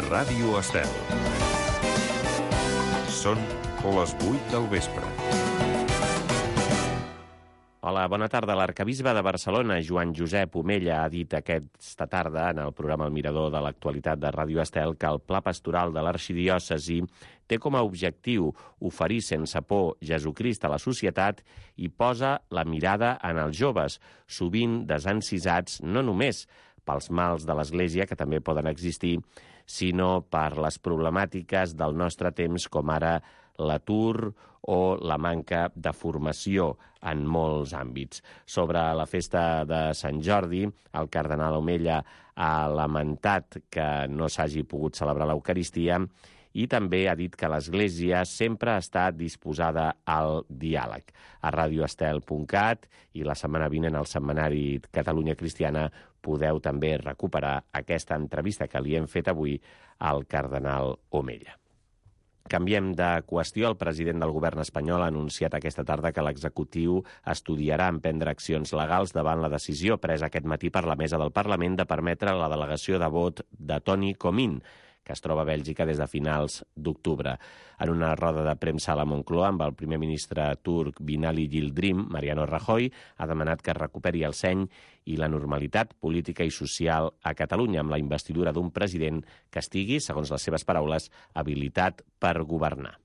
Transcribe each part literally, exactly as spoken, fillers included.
Ràdio Estel. Són les vuit del vespre. Hola, bona tarda. L'arcabisbe de Barcelona, Joan Josep Omella, ha dit aquesta tarda en el programa El Mirador de l'Actualitat de Ràdio Estel que el pla pastoral de l'arxidiòcesi té com a objectiu oferir sense por Jesucrist a la societat i posa la mirada en els joves, sovint desencisats no només pels mals de l'Església, que també poden existir, sinó per les problemàtiques del nostre temps, com ara l'atur o la manca de formació en molts àmbits. Sobre la festa de Sant Jordi, el cardenal Omella ha lamentat que no s'hagi pogut celebrar l'Eucaristia i també ha dit que l'Església sempre ha estat disposada al diàleg. A radioestel punt cat i la setmana vinent al setmanari Catalunya Cristiana podeu també recuperar aquesta entrevista que li hem fet avui al cardenal Omella. Canviem de qüestió. El president del govern espanyol ha anunciat aquesta tarda que l'executiu estudiarà emprendre accions legals davant la decisió presa aquest matí per la mesa del Parlament de permetre la delegació de vot de Toni Comín, que es troba a Bèlgica des de finals d'octubre. En una roda de premsa a la Moncloa amb el primer ministre turc Binali Yildirim, Mariano Rajoy ha demanat que es recuperi el seny i la normalitat política i social a Catalunya amb la investidura d'un president que estigui, segons les seves paraules, habilitat per governar.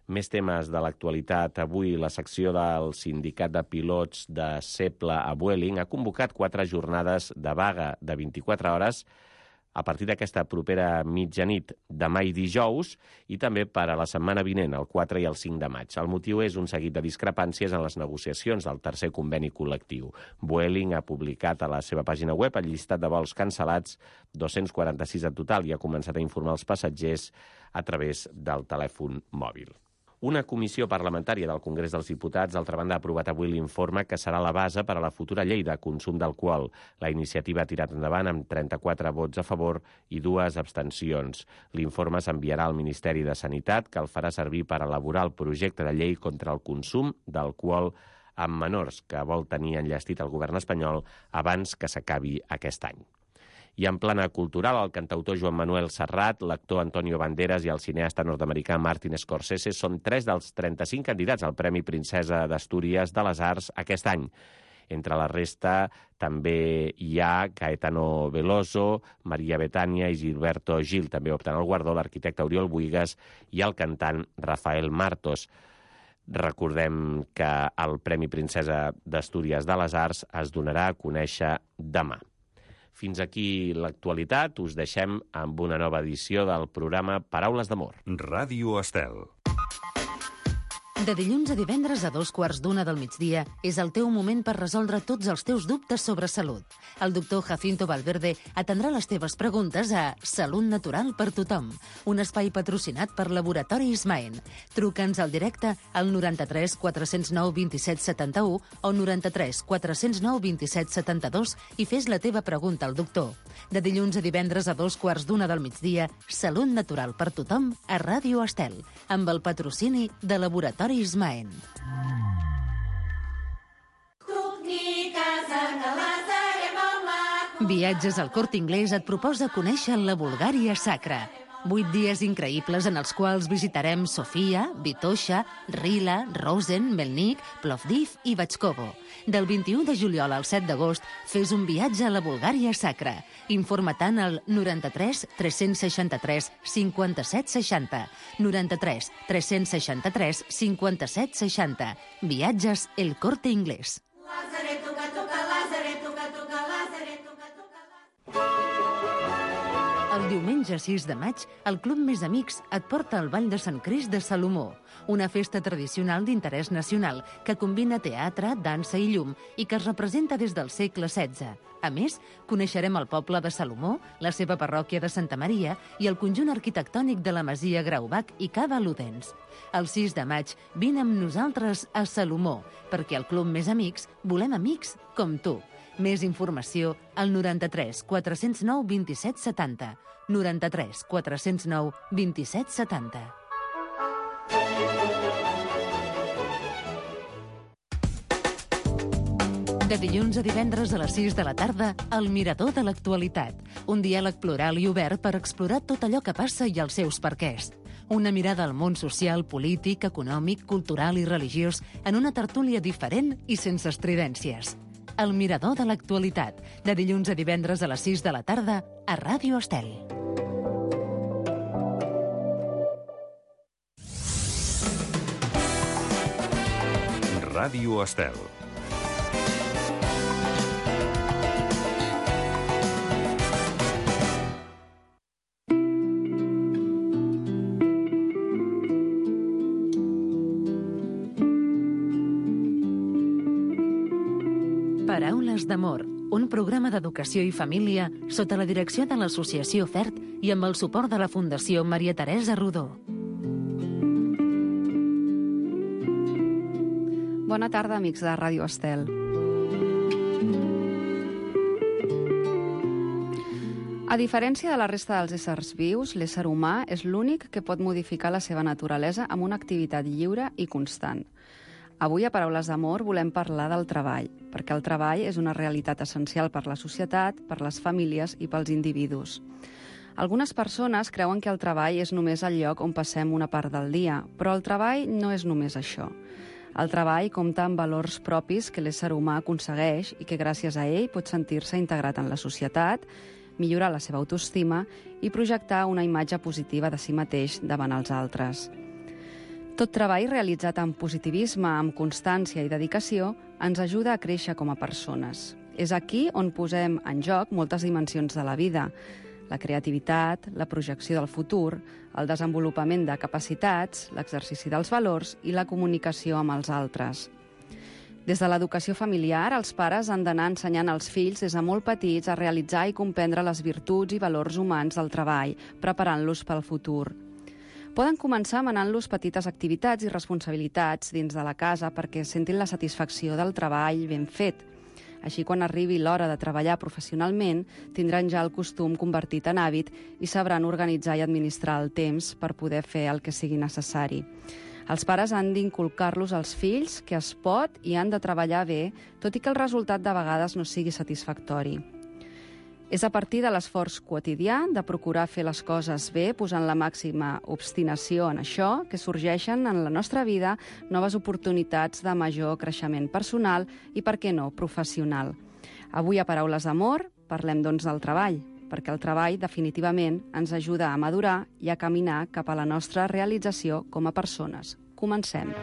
Més temes de l'actualitat. Avui la secció del sindicat de pilots de Seble a Vueling ha convocat quatre jornades de vaga de vint-i-quatre hores a partir d'aquesta propera mitjanit demà i dijous i també per a la setmana vinent, el quatre i el cinc de maig. El motiu és un seguit de discrepàncies en les negociacions del tercer conveni col·lectiu. Vueling ha publicat a la seva pàgina web el llistat de vols cancel·lats, dos-cents quaranta-sis en total, i ha començat a informar els passatgers a través del telèfon mòbil. Una comissió parlamentària del Congrés dels Diputats, d'altra banda, ha aprovat avui l'informe que serà la base per a la futura llei de consum d'alcohol. La iniciativa ha tirat endavant amb trenta-quatre vots a favor i dues abstencions. L'informe s'enviarà al Ministeri de Sanitat, que el farà servir per elaborar el projecte de llei contra el consum d'alcohol amb menors, que vol tenir enllestit el govern espanyol abans que s'acabi aquest any. I en plana cultural, el cantautor Joan Manuel Serrat, l'actor Antonio Banderas i el cineasta nord-americà Martin Scorsese són tres dels trenta-cinc candidats al Premi Princesa d'Astúries de les Arts aquest any. Entre la resta també hi ha Caetano Veloso, Maria Bethània i Gilberto Gil. També opten al guardó l'arquitecte Oriol Buigas i el cantant Rafael Martos. Recordem que el Premi Princesa d'Astúries de les Arts es donarà a conèixer demà. Fins aquí l'actualitat. Us deixem amb una nova edició del programa Paraules d'Amor. Ràdio Estel. De dilluns a divendres a dos quarts d'una del migdia és el teu moment per resoldre tots els teus dubtes sobre salut. El doctor Jacinto Valverde atendrà les teves preguntes a Salut Natural per Tothom, un espai patrocinat per Laboratori Ismaen. Truca'ns al directe al noranta-tres quatre-cents nou vint-i-set setanta-u o noranta-tres quatre-cents nou vint-i-set setanta-dos i fes la teva pregunta al doctor. De dilluns a divendres a dos quarts d'una del migdia, Salut Natural per Tothom a Ràdio Estel, amb el patrocini de Laboratori Ismaen. Viatges al Corte Inglés et proposa conèixer la Bulgària Sacra. Vuit dies increïbles en els quals visitarem Sofia, Vitoša, Rila, Rosen, Melnik, Plovdiv i Batxkovo. Del vint-i-u de juliol al set d'agost fes un viatge a la Bulgària Sacra. Informa-te'n al noranta-tres tres-cents seixanta-tres cinquanta-set seixanta. noranta-tres tres-cents seixanta-tres cinquanta-set seixanta. Viatges El Corte Inglés. El diumenge sis de maig, el Club Més Amics et porta al Ball de Sant Crist de Salomó, una festa tradicional d'interès nacional que combina teatre, dansa i llum i que es representa des del segle setze. A més, coneixerem el poble de Salomó, la seva parròquia de Santa Maria i el conjunt arquitectònic de la Masia Graubach i Cava Ludens. El sis de maig, vine amb nosaltres a Salomó, perquè al Club Més Amics volem amics com tu. Més informació al noranta-tres quatre-cents nou vint-i-set setanta. noranta-tres quatre-cents nou vint-i-set setanta. De dilluns a divendres a les sis de la tarda, El Mirador de l'Actualitat. Un diàleg plural i obert per explorar tot allò que passa i els seus perquès. Una mirada al món social, polític, econòmic, cultural i religiós en una tertúlia diferent i sense estridències. El Mirador de l'Actualitat. De dilluns a divendres a les sis de la tarda a Ràdio Estel. Ràdio Estel. Paraules d'amor, un programa d'educació i família sota la direcció de l'Associació FERT i amb el suport de la Fundació Maria Teresa Rodó. Bona tarda, amics de Ràdio Estel. A diferència de la resta dels éssers vius, l'ésser humà és l'únic que pot modificar la seva naturalesa amb una activitat lliure i constant. Avui, a Paraules d'Amor, volem parlar del treball, perquè el treball és una realitat essencial per la societat, per les famílies i pels individus. Algunes persones creuen que el treball és només el lloc on passem una part del dia, però el treball no és només això. El treball compta amb valors propis que l'ésser humà aconsegueix i que gràcies a ell pot sentir-se integrat en la societat, millorar la seva autoestima i projectar una imatge positiva de si mateix davant els altres. Tot treball realitzat amb positivisme, amb constància i dedicació ens ajuda a créixer com a persones. És aquí on posem en joc moltes dimensions de la vida: la creativitat, la projecció del futur, el desenvolupament de capacitats, l'exercici dels valors i la comunicació amb els altres. Des de l'educació familiar, els pares han d'anar ensenyant als fills des de molt petits a realitzar i comprendre les virtuts i valors humans del treball, preparant-los pel futur. Poden començar manant-los petites activitats i responsabilitats dins de la casa perquè sentin la satisfacció del treball ben fet. Així, quan arribi l'hora de treballar professionalment, tindran ja el costum convertit en hàbit i sabran organitzar i administrar el temps per poder fer el que sigui necessari. Els pares han d'inculcar-los als fills que es pot i han de treballar bé, tot i que el resultat de vegades no sigui satisfactori. És a partir de l'esforç quotidià de procurar fer les coses bé, posant la màxima obstinació en això, que sorgeixen en la nostra vida noves oportunitats de major creixement personal i, per què no, professional. Avui, a Paraules d'Amor, parlem doncs del treball, perquè el treball definitivament ens ajuda a madurar i a caminar cap a la nostra realització com a persones. Comencem.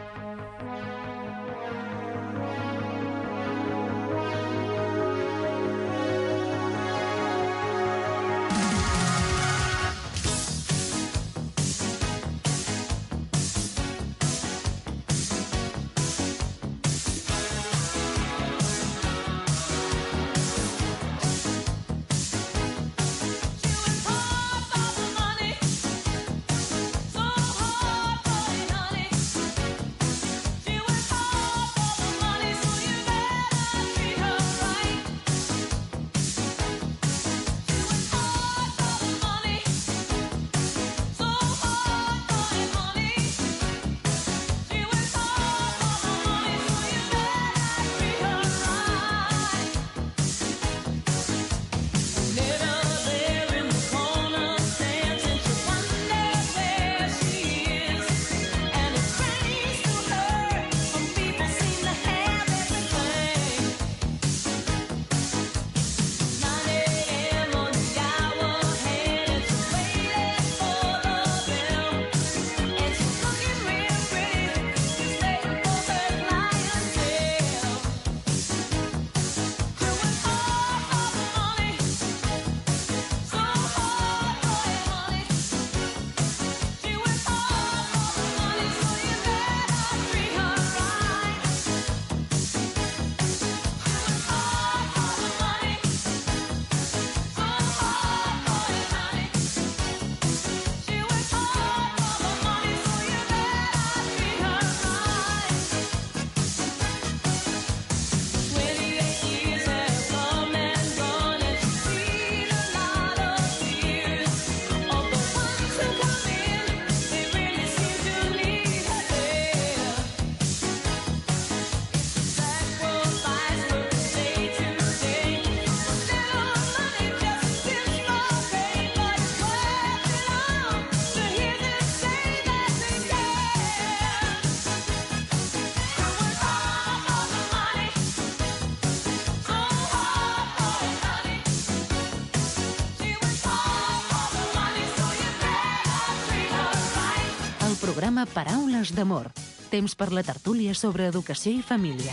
programa Paraules d'Amor. Temps per la tertúlia sobre educació i família.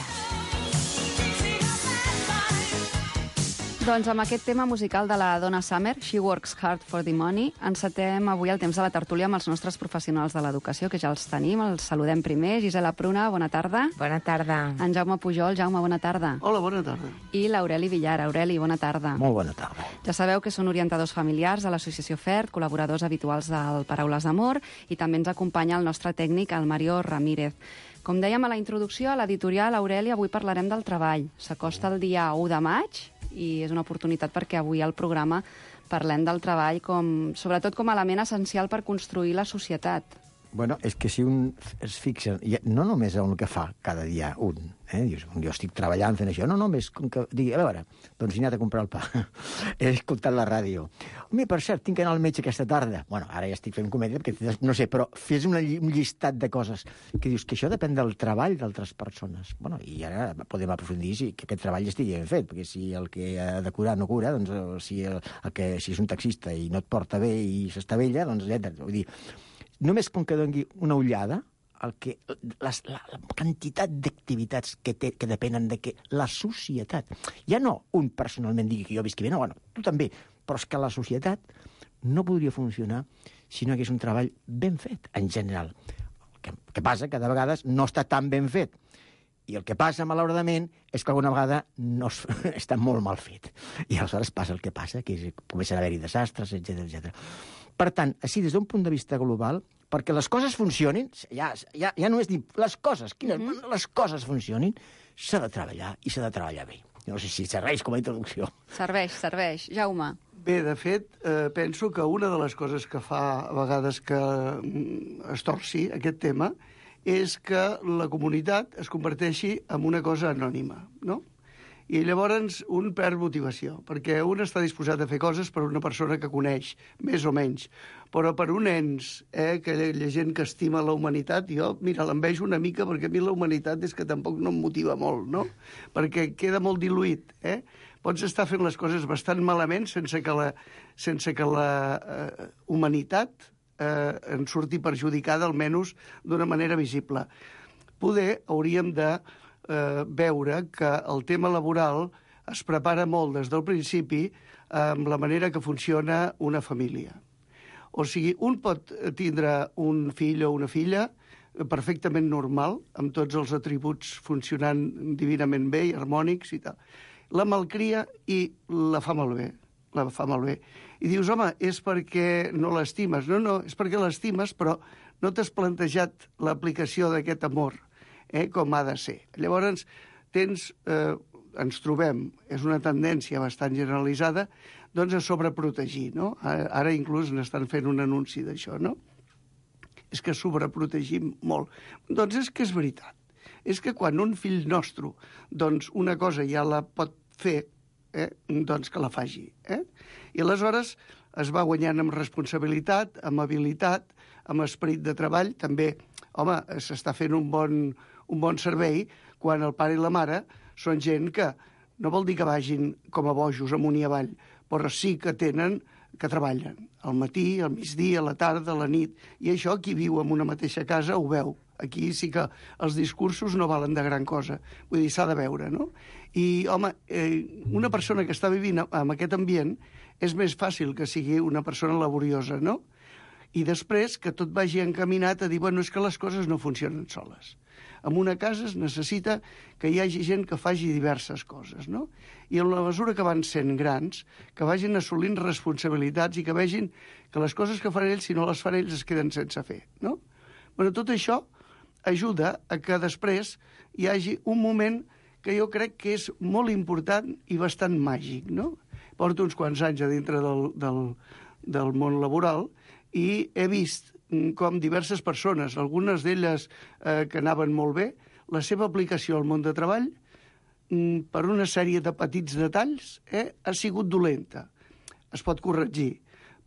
Doncs amb aquest tema musical de la Donna Summer, She Works Hard for the Money, encetem avui el temps de la tertúlia amb els nostres professionals de l'educació, que ja els tenim. Els saludem primer. Gisela Pruna, bona tarda. Bona tarda. En Jaume Pujol. Jaume, bona tarda. Hola, bona tarda. I l'Aureli Villar. Aureli, bona tarda. Molt bona tarda. Ja sabeu que són orientadors familiars de l'associació F E R T, col·laboradors habituals del Paraules d'Amor, i també ens acompanya el nostre tècnic, el Mario Ramírez. Com dèiem a la introducció, a l'editorial, Aureli, avui parlarem del treball. S'acosta el dia u de maig i és una oportunitat perquè avui al programa parlem del treball com, sobretot com a element essencial per construir la societat. Bueno, és que si un es fixa, no només en el que fa cada dia un, eh? Dius, jo estic treballant fent això, no només com que digui, a veure, doncs he anat a comprar el pa, he escoltat la ràdio. Home, per cert, tinc que anar al metge aquesta tarda. Bueno, ara ja estic fent comèdia, perquè no sé, però fes una, un llistat de coses que dius que això depèn del treball d'altres persones. Bueno, i ara podem aprofundir si que aquest treball estigui ben fet, perquè si el que ha de curar no cura, doncs si, el, el que, si és un taxista i no et porta bé i s'estavella, doncs etcètera. Vull dir, només com que doni una ullada, el que, les, la, la quantitat d'activitats que, té, que depenen de que la societat, ja no un personalment digui que jo visqui bé, no, bueno, tu també, però és que la societat no podria funcionar si no hi hagués un treball ben fet, en general. El que, que passa que de vegades no està tan ben fet. I el que passa, malauradament, és que alguna vegada no es, està molt mal fet. I aleshores passa el que passa, que és, comencen a haver-hi desastres, etcètera, etcètera. Per tant, així, des d'un punt de vista global, perquè les coses funcionin, ja, ja, ja no és dir les coses, quines, mm-hmm. les coses funcionin, s'ha de treballar, i s'ha de treballar bé. No sé si serveix com a introducció. Serveix, serveix. Jaume. Bé, de fet, eh, penso que una de les coses que fa a vegades que es torci aquest tema és que la comunitat es converteixi en una cosa anònima, no? I llavors un perd motivació, perquè un està disposat a fer coses per una persona que coneix, més o menys, però per un ens, eh, que hi ha gent que estima la humanitat, jo, mira, l'envejo una mica perquè a mi la humanitat és que tampoc no em motiva molt, no? Perquè queda molt diluït, eh? Pots estar fent les coses bastant malament sense que la, sense que la eh, humanitat eh, en surti perjudicada, almenys d'una manera visible. Poder hauríem de eh, veure que el tema laboral es prepara molt des del principi amb la manera que funciona una família. O sigui, un pot tindre un fill o una filla perfectament normal, amb tots els atributs funcionant divinament bé i harmònics i tal. La malcria i la fa malbé, la fa malbé. I dius, home, és perquè no l'estimes. No, no, és perquè l'estimes, però no t'has plantejat l'aplicació d'aquest amor, eh, com ha de ser. Llavors, tens, eh, ens trobem, és una tendència bastant generalitzada, doncs a sobreprotegir, no? Ara inclús n'estan fent un anunci d'això, no? És que sobreprotegim molt. Doncs és que és veritat. És que quan un fill nostre, doncs una cosa ja la pot fer, eh, doncs que la faci. Eh? I aleshores es va guanyant amb responsabilitat, amb habilitat, amb esperit de treball. També, home, s'està fent un bon, un bon servei quan el pare i la mare són gent que no vol dir que vagin com a bojos amunt i avall, però sí que tenen, que treballen al matí, al migdia, a la tarda, a la nit. I això qui viu en una mateixa casa ho veu. Aquí sí que els discursos no valen de gran cosa. Vull dir, s'ha de veure, no? I, home, eh, una persona que està vivint en aquest ambient és més fàcil que sigui una persona laboriosa, no? I després que tot vagi encaminat a dir, bueno, és que les coses no funcionen soles. En una casa es necessita que hi hagi gent que faci diverses coses, no? I en la mesura que van sent grans, que vagin assolint responsabilitats i que vegin que les coses que fan ells, si no les fan ells, es queden sense fer, no? Bueno, tot això ajuda a que després hi hagi un moment que jo crec que és molt important i bastant màgic, no? Porto uns quants anys a dintre del, del, del món laboral i he vist com diverses persones, algunes d'elles eh, que anaven molt bé, la seva aplicació al món de treball, mm, per una sèrie de petits detalls, eh, ha sigut dolenta. Es pot corregir.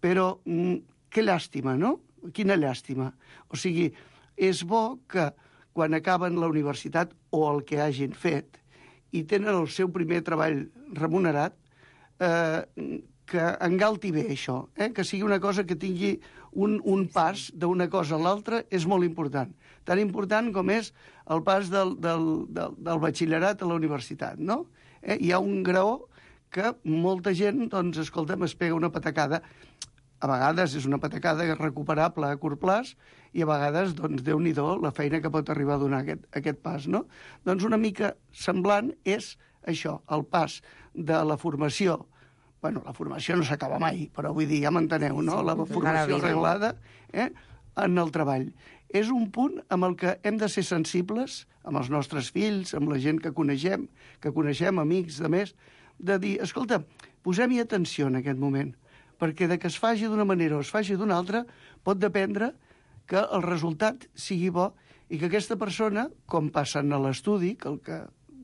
Però mm, que llàstima, no? Quina llàstima. O sigui, és bo que quan acaben la universitat o el que hagin fet i tenen el seu primer treball remunerat, eh, que engalti bé això, eh? que sigui una cosa que tingui un, un pas d'una cosa a l'altra, és molt important. Tan important com és el pas del, del, del, del batxillerat a la universitat, no? Eh? Hi ha un graó que molta gent, doncs, escolta'm, es pega una patacada. A vegades és una patacada recuperable a curt plaç i a vegades, doncs, Déu-n'hi-do la feina que pot arribar a donar aquest, aquest pas, no? Doncs una mica semblant és això, el pas de la formació. Bueno, la formació no s'acaba mai, però vull dir, ja m'enteneu, no? La formació reglada eh, en el treball. És un punt amb el que hem de ser sensibles, amb els nostres fills, amb la gent que coneixem, que coneixem, amics, de més, de dir, escolta, posem-hi atenció en aquest moment, perquè de que es faci d'una manera o es faci d'una altra, pot dependre que el resultat sigui bo i que aquesta persona, com passen a l'estudi, que el que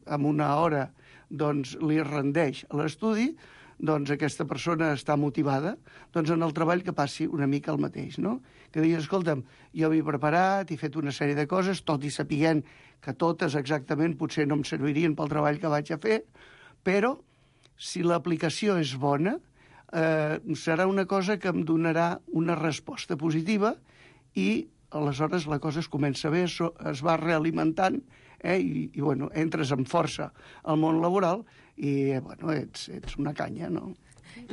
en una hora doncs, li rendeix a l'estudi, doncs aquesta persona està motivada, doncs en el treball que passi una mica el mateix, no? Que digui, escolta'm, jo m'he preparat, he fet una sèrie de coses, tot i sapiguent que totes exactament potser no em servirien pel treball que vaig a fer, però si l'aplicació és bona, eh, serà una cosa que em donarà una resposta positiva i aleshores la cosa es comença bé, es, es va realimentant eh, i, i bueno, entres amb força al món laboral i bueno, ets, ets una canya, no?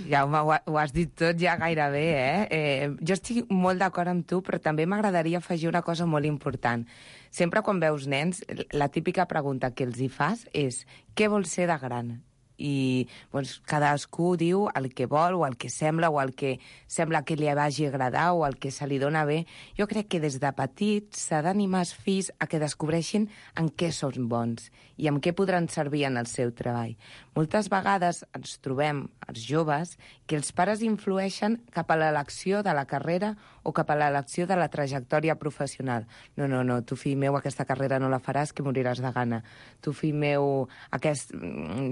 Jaume, ho, ho has dit tot ja gairebé, eh? eh jo estic molt d'acord amb tu, però també m'agradaria afegir una cosa molt important. Sempre quan veus nens, la típica pregunta que els hi fas és què vols ser de gran? I doncs, cadascú diu el que vol o el que sembla o el que sembla que li vagi agradar o el que se li dona bé. Jo crec que des de petits s'ha d'animar els fills a que descobreixin en què són bons i en què podran servir en el seu treball. Moltes vegades ens trobem, els joves, que els pares influeixen cap a l'elecció de la carrera o cap a l'elecció de la trajectòria professional. No, no, no, tu, fill meu, aquesta carrera no la faràs, que moriràs de gana. Tu, fill meu, aquest,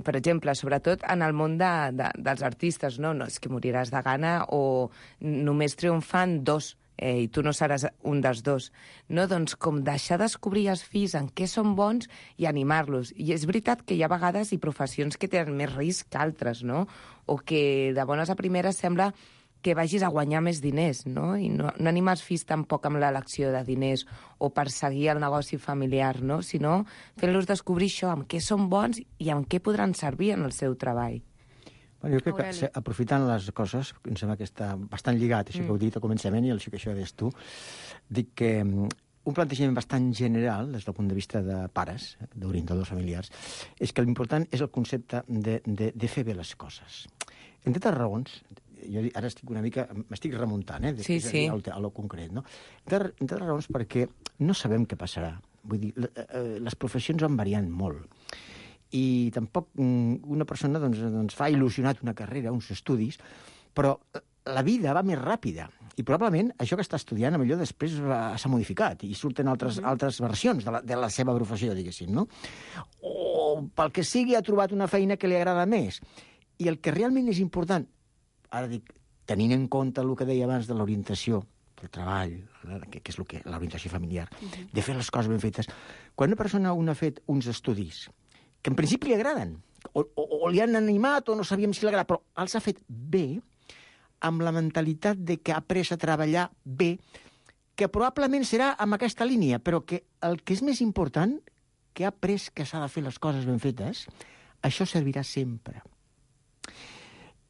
per exemple, sobretot en el món de, de, dels artistes, no, no, és que moriràs de gana o només triomfant dos, eh, i tu no seràs un dels dos. No, doncs com deixar descobrir els fills en què són bons i animar-los. I és veritat que hi ha vegades i professions que tenen més risc que altres, no? O que de bones a primeres sembla que vagis a guanyar més diners, no? I no, no animar els fills tampoc amb l'elecció de diners o perseguir el negoci familiar, no? Sinó fent-los descobrir això, amb què són bons i amb què podran servir en el seu treball. Bueno, jo crec que, aprofitant les coses, em sembla que està bastant lligat, això mm. que heu dit al començament i el que això deies tu, dic que un plantejament bastant general, des del punt de vista de pares, d'orientadors familiars, és que l'important és el concepte de, de, de fer bé les coses. Entre altres raons, jo ara estic una mica, m'estic remuntant, eh, després sí, sí. a, a lo concret, no? Entre, entre altres raons perquè no sabem què passarà. Vull dir, les professions van variant molt. I tampoc una persona doncs, doncs, fa il·lusionat una carrera, uns estudis, però la vida va més ràpida. I probablement això que està estudiant, millor després s'ha modificat i surten altres, mm-hmm. altres versions de la, de la seva professió, diguéssim, no? O pel que sigui ha trobat una feina que li agrada més. I el que realment és important, ara dic, tenint en compte el que deia abans de l'orientació, del treball, que, que és el que, l'orientació familiar, mm-hmm. de fer les coses ben fetes, quan una persona un ha fet uns estudis que en principi li agraden, o, o, o li han animat o no sabíem si li agrada, però els ha fet bé, amb la mentalitat de que ha après a treballar bé, que probablement serà amb aquesta línia, però que el que és més important, que ha après que s'ha de fer les coses ben fetes, això servirà sempre.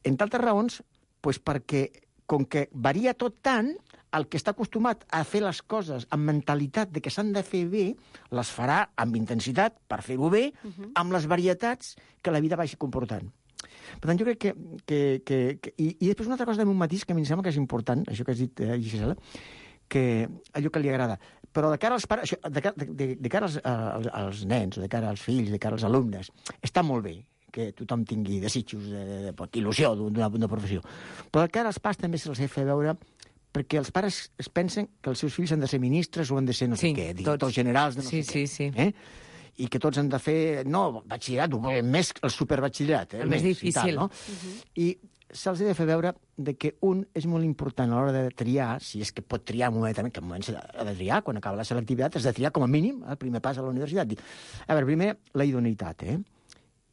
Entre altres raons, doncs perquè, com que varia tot tant, el que està acostumat a fer les coses amb mentalitat de que s'han de fer bé, les farà amb intensitat per fer-ho bé, uh-huh. amb les varietats que la vida vagi comportant. Per tant, jo crec que... que, que, que i, I després una altra cosa d'un matís que a mi em sembla que és important, això que has dit, eh, Gisela, que allò que li agrada. Però de cara als pares, això, de, de, de, de cara als, als, als nens, o de cara als fills, de cara als alumnes, està molt bé que tothom tingui desitjos, de, de, de, il·lusió d'una, d'una professió. Però de cara als pares també se'ls ha de fer veure perquè els pares es pensen que els seus fills han de ser ministres o han de ser no sé sí, què, directors generals de no sí, sé sí, sí. què. Eh? I que tots han de fer, no, batxillerat, més el superbatxillerat. Eh? El més difícil. I, tal, no? uh-huh. I se'ls ha de fer veure de que un és molt important a l'hora de triar, si és que pot triar un moment, que en moments ha de triar, quan acaba la selectivitat, has de triar com a mínim el primer pas a la universitat. A veure, primer, la idoneïtat, eh?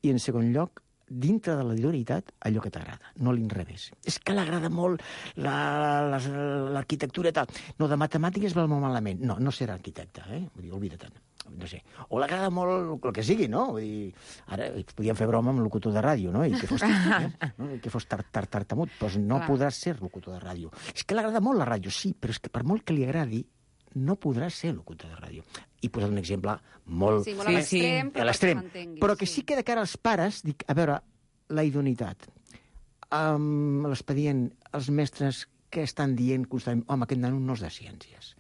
I en segon lloc, dintre de la idoneïtat allò que t'agrada, no l'inrevés. És que l'agrada molt l'arquitectura i tal. No, de matemàtiques va molt malament. No, no serà arquitecte, eh? Vull dir, oblida-te'n. No sé. O l'agrada molt el que sigui, no? Vull dir, ara podíem fer broma amb locutor de ràdio, no? I que fos, eh? no? I que fos tar, tar, tartamut, doncs no Clar. podràs ser locutor de ràdio. És que l'agrada molt la ràdio, sí, però és que per molt que li agradi, no podrà ser locutor de ràdio. I posar un exemple molt... Sí, molt a Sí, sí. l'extrem, però a l'extrem. perquè m'entenguis. Però que sí que de cara als pares, dic, a veure, la idoneïtat. Um, L'expedient, els mestres que estan dient constantment, home, aquest nano no és de ciències.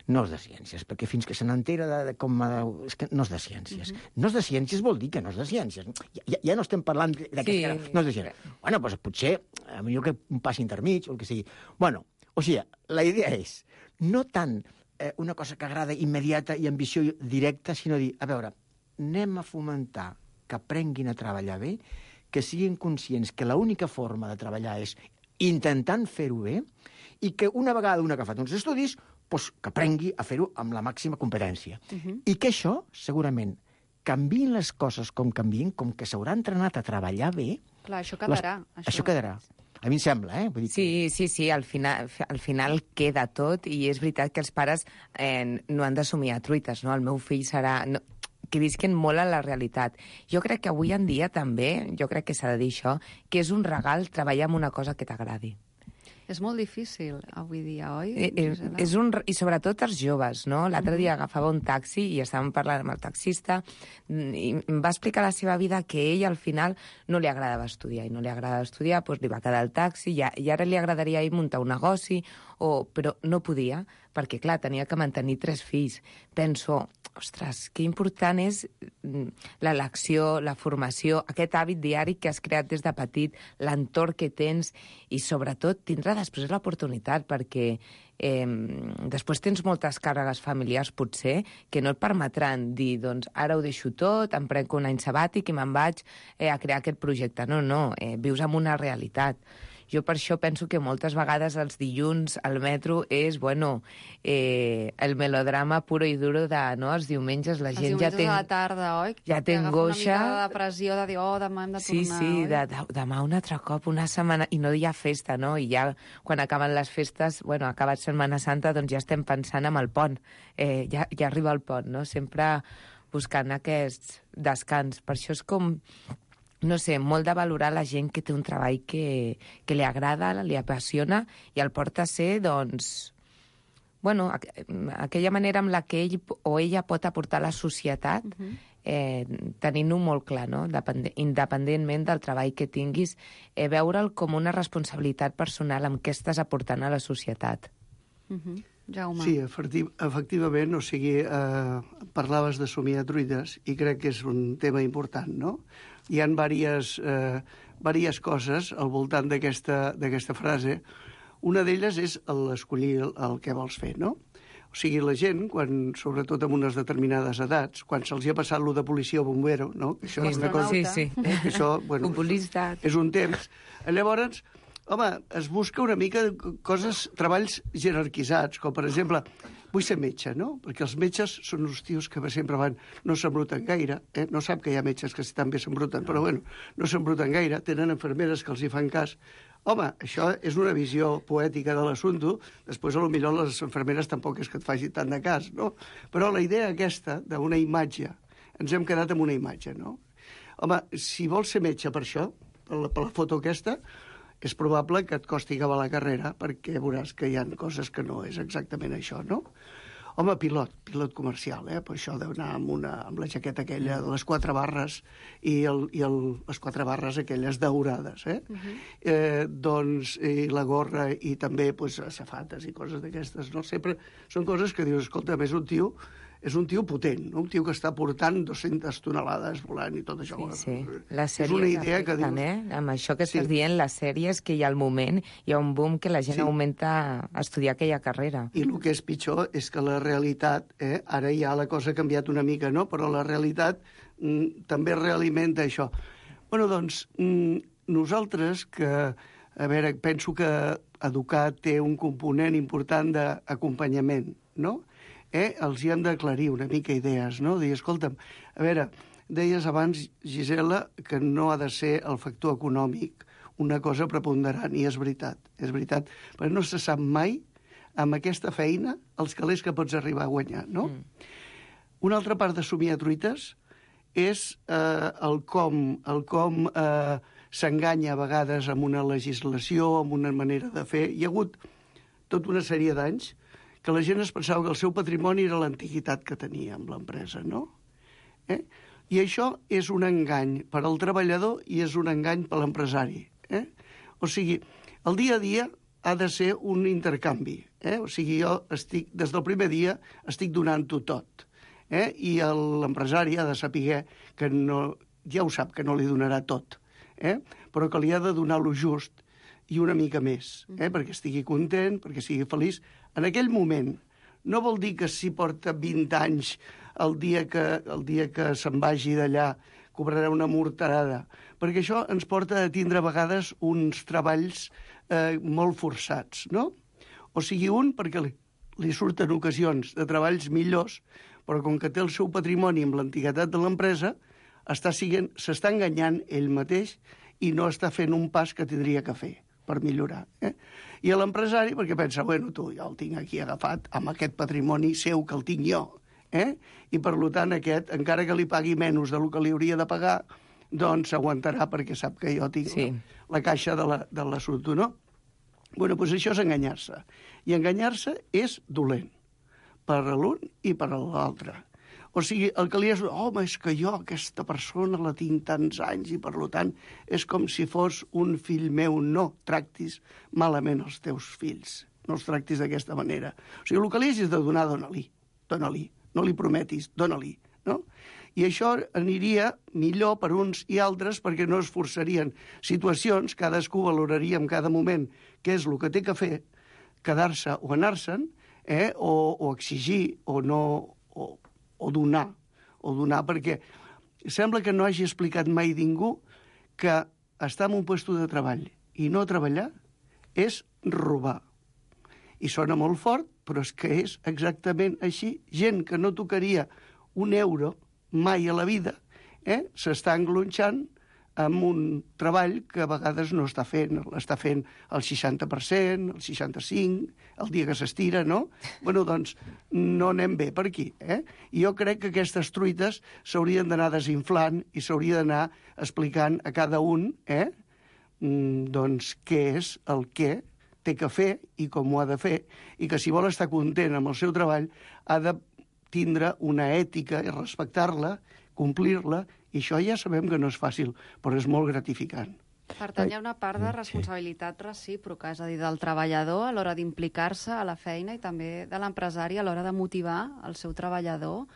No és de ciències, perquè fins que se n'entera de, de com... És que no és de ciències. Uh -huh. No és de ciències vol dir que no és de ciències. Ja, ja, ja no estem parlant d'aquest Sí. cara. No és de ciències. Bueno, doncs potser, a millor que un pas intermig o el que sigui. Bueno, o sigui, la idea és no tant eh, una cosa que agrada immediata i ambició directa, sinó dir, a veure, anem a fomentar que aprenguin a treballar bé, que siguin conscients que l'única forma de treballar és intentant fer-ho bé, i que una vegada una que ha fet uns estudis, doncs que aprengui a fer-ho amb la màxima competència. Uh -huh. I que això, segurament, canviïn les coses com canviïn, com que s'haurà entrenat a treballar bé... Clar, això quedarà. Les... Això quedarà. A mi em sembla, eh? Vull dir que... Sí, sí, sí, al final, al final queda tot, i és veritat que els pares eh, no han d'assumir a truites, no? El meu fill serà... No, que visquen molt a la realitat. Jo crec que avui en dia també, jo crec que s'ha de dir això, que és un regal treballar en una cosa que t'agradi. És molt difícil avui dia, oi? Eh, eh, és un, I sobretot els joves, no? L'altre dia agafava un taxi i estàvem parlant amb el taxista i em va explicar la seva vida que ell al final no li agradava estudiar i no li agradava estudiar, doncs li va quedar el taxi i, i ara li agradaria a ell muntar un negoci, o, però no podia perquè, clar, tenia que mantenir tres fills. Penso, ostres, que important és l'elecció, la formació, aquest hàbit diari que has creat des de petit, l'entorn que tens i, sobretot, tindrà després l'oportunitat, perquè eh, després tens moltes càrregues familiars, potser, que no et permetran dir, doncs, ara ho deixo tot, em prenc un any sabàtic i me'n vaig eh, a crear aquest projecte. No, no, eh, vius en una realitat. Jo per això penso que moltes vegades els dilluns al metro és, bueno, eh, el melodrama puro i duro de, no?, els diumenges la gent ja té... Els diumenges a la tarda, oi? Ja té angoixa. Una mica de depressió, de dir, oh, demà hem de sí, tornar, sí, oi? de, de, demà un altre cop, una setmana... I no hi ha festa, no? I ja, quan acaben les festes, bueno, acabat Setmana Santa, doncs ja estem pensant en el pont. Eh, ja, ja arriba el pont, no? Sempre buscant aquests descans. Per això és com... no sé, molt de valorar la gent que té un treball que, que li agrada, li apassiona i el porta a ser, doncs, bueno, aqu aquella manera amb la que ell o ella pot aportar a la societat, uh-huh. eh, tenint-ho molt clar, no? Depend independentment del treball que tinguis, eh, veure'l com una responsabilitat personal amb què estàs aportant a la societat. Uh-huh. Jaume. Sí, efectiv efectivament, o sigui, eh, parlaves de somiar truites i crec que és un tema important, no? Hi ha diverses, eh, diverses coses al voltant d'aquesta d'aquesta frase. Una d'elles és l'escollir el, el que vols fer, no? O sigui, la gent, quan, sobretot amb unes determinades edats, quan se'ls ha passat lo de policia o bombero, no? Que això és una cosa... Sí, sí. Eh, que això, bueno, Futbolista. és un temps. Llavors, home, es busca una mica coses, treballs jerarquitzats, com per exemple, vull ser metge, no? Perquè els metges són uns tios que sempre van, no s'embruten gaire, eh? No sap que hi ha metges que també s'embruten, però bueno, no s'embruten gaire, tenen infermeres que els hi fan cas. Home, això és una visió poètica de l'assumpte, després a lo millor les infermeres tampoc és que et faci tant de cas, no? Però la idea aquesta d'una imatge, ens hem quedat amb una imatge, no? Home, si vols ser metge per això, per la, per la foto aquesta, és probable que et costi acabar la carrera perquè veuràs que hi ha coses que no és exactament això, no? Home, pilot, pilot comercial, eh? Per això deu anar amb, una, amb la jaqueta aquella de les quatre barres i, el, i el, les quatre barres aquelles daurades, eh? Uh -huh. eh doncs, i la gorra i també pues, safates i coses d'aquestes, no? Sempre són coses que dius, escolta, és un tio és un tio potent, no? Un tio que està portant dues-centes tonelades volant i tot això. Sí, sí. Les és una idea que dius... eh? Amb això que estàs sí. dient, les sèries que hi ha al moment, hi ha un boom que la gent sí. augmenta a estudiar aquella carrera. I el que és pitjor és que la realitat, eh, ara ja la cosa ha canviat una mica, no? Però la realitat mm, també realimenta això. Bueno, doncs, mm, nosaltres que, a veure, penso que educar té un component important d'acompanyament, no? Eh, els hi hem d'aclarir una mica idees, no? Dir, escolta'm, a veure, Deies abans, Gisela, que no ha de ser el factor econòmic una cosa preponderant, i és veritat, és veritat, perquè no se sap mai amb aquesta feina els calés que pots arribar a guanyar, no? Mm. Una altra part de somiar truites és eh, el com, el com eh, s'enganya a vegades amb una legislació, amb una manera de fer. Hi ha hagut tota una sèrie d'anys que la gent es pensava que el seu patrimoni era l'antiguitat que tenia amb l'empresa, no? Eh? I això és un engany per al treballador i és un engany per l'empresari. Eh? O sigui, el dia a dia ha de ser un intercanvi. Eh? O sigui, jo estic, des del primer dia estic donant-ho tot. Eh? I l'empresari ha de saber que no, ja ho sap, que no li donarà tot, eh? Però que li ha de donar lo just i una mica més, eh? Perquè estigui content, perquè sigui feliç. En aquell moment, no vol dir que si porta vint anys el dia que, el dia que se'n vagi d'allà cobrarà una morterada, perquè això ens porta a tindre a vegades uns treballs eh, molt forçats, no? O sigui, un, perquè li, li surten ocasions de treballs millors, però com que té el seu patrimoni amb l'antiguitat de l'empresa, està siguent, s'està enganyant ell mateix i no està fent un pas que tindria que fer per millorar. Eh? I a l'empresari, perquè pensa, bueno, tu, jo el tinc aquí agafat amb aquest patrimoni seu que el tinc jo, eh? I per tant aquest, encara que li pagui menys del que li hauria de pagar, doncs s'aguantarà perquè sap que jo tinc sí. la, la caixa de la, de l'assumpte, no? Bueno, doncs això és enganyar-se. I enganyar-se és dolent per a l'un i per a l'altre. O sigui, el que li és... Home, és que jo aquesta persona la tinc tants anys i, per tant, és com si fos un fill meu. No tractis malament els teus fills. No els tractis d'aquesta manera. O sigui, el que li és de donar, dona-li. Dona-li. No li prometis, dona-li. No? I això aniria millor per uns i altres perquè no es forçarien situacions, cadascú valoraria en cada moment què és el que té que fer, quedar-se o anar-se'n, eh? o, o exigir o no... O, o donar, o donar, perquè sembla que no hagi explicat mai ningú que estar en un lloc de treball i no treballar és robar. I sona molt fort, però és que és exactament així. Gent que no tocaria un euro mai a la vida, eh? s'està englonxant amb un treball que a vegades no està fent, l'està fent el seixanta per cent, el seixanta-cinc per cent, el dia que s'estira, no? Bueno, doncs no anem bé per aquí, eh? I jo crec que aquestes truites s'haurien d'anar desinflant i s'hauria d'anar explicant a cada un, eh? doncs què és el que té que fer i com ho ha de fer, i que si vol estar content amb el seu treball ha de tindre una ètica i respectar-la, complir-la, i això ja sabem que no és fàcil, però és molt gratificant. Per tant, hi ha una part de responsabilitat recíproca, és a dir, del treballador a l'hora d'implicar-se a la feina i també de l'empresari a l'hora de motivar el seu treballador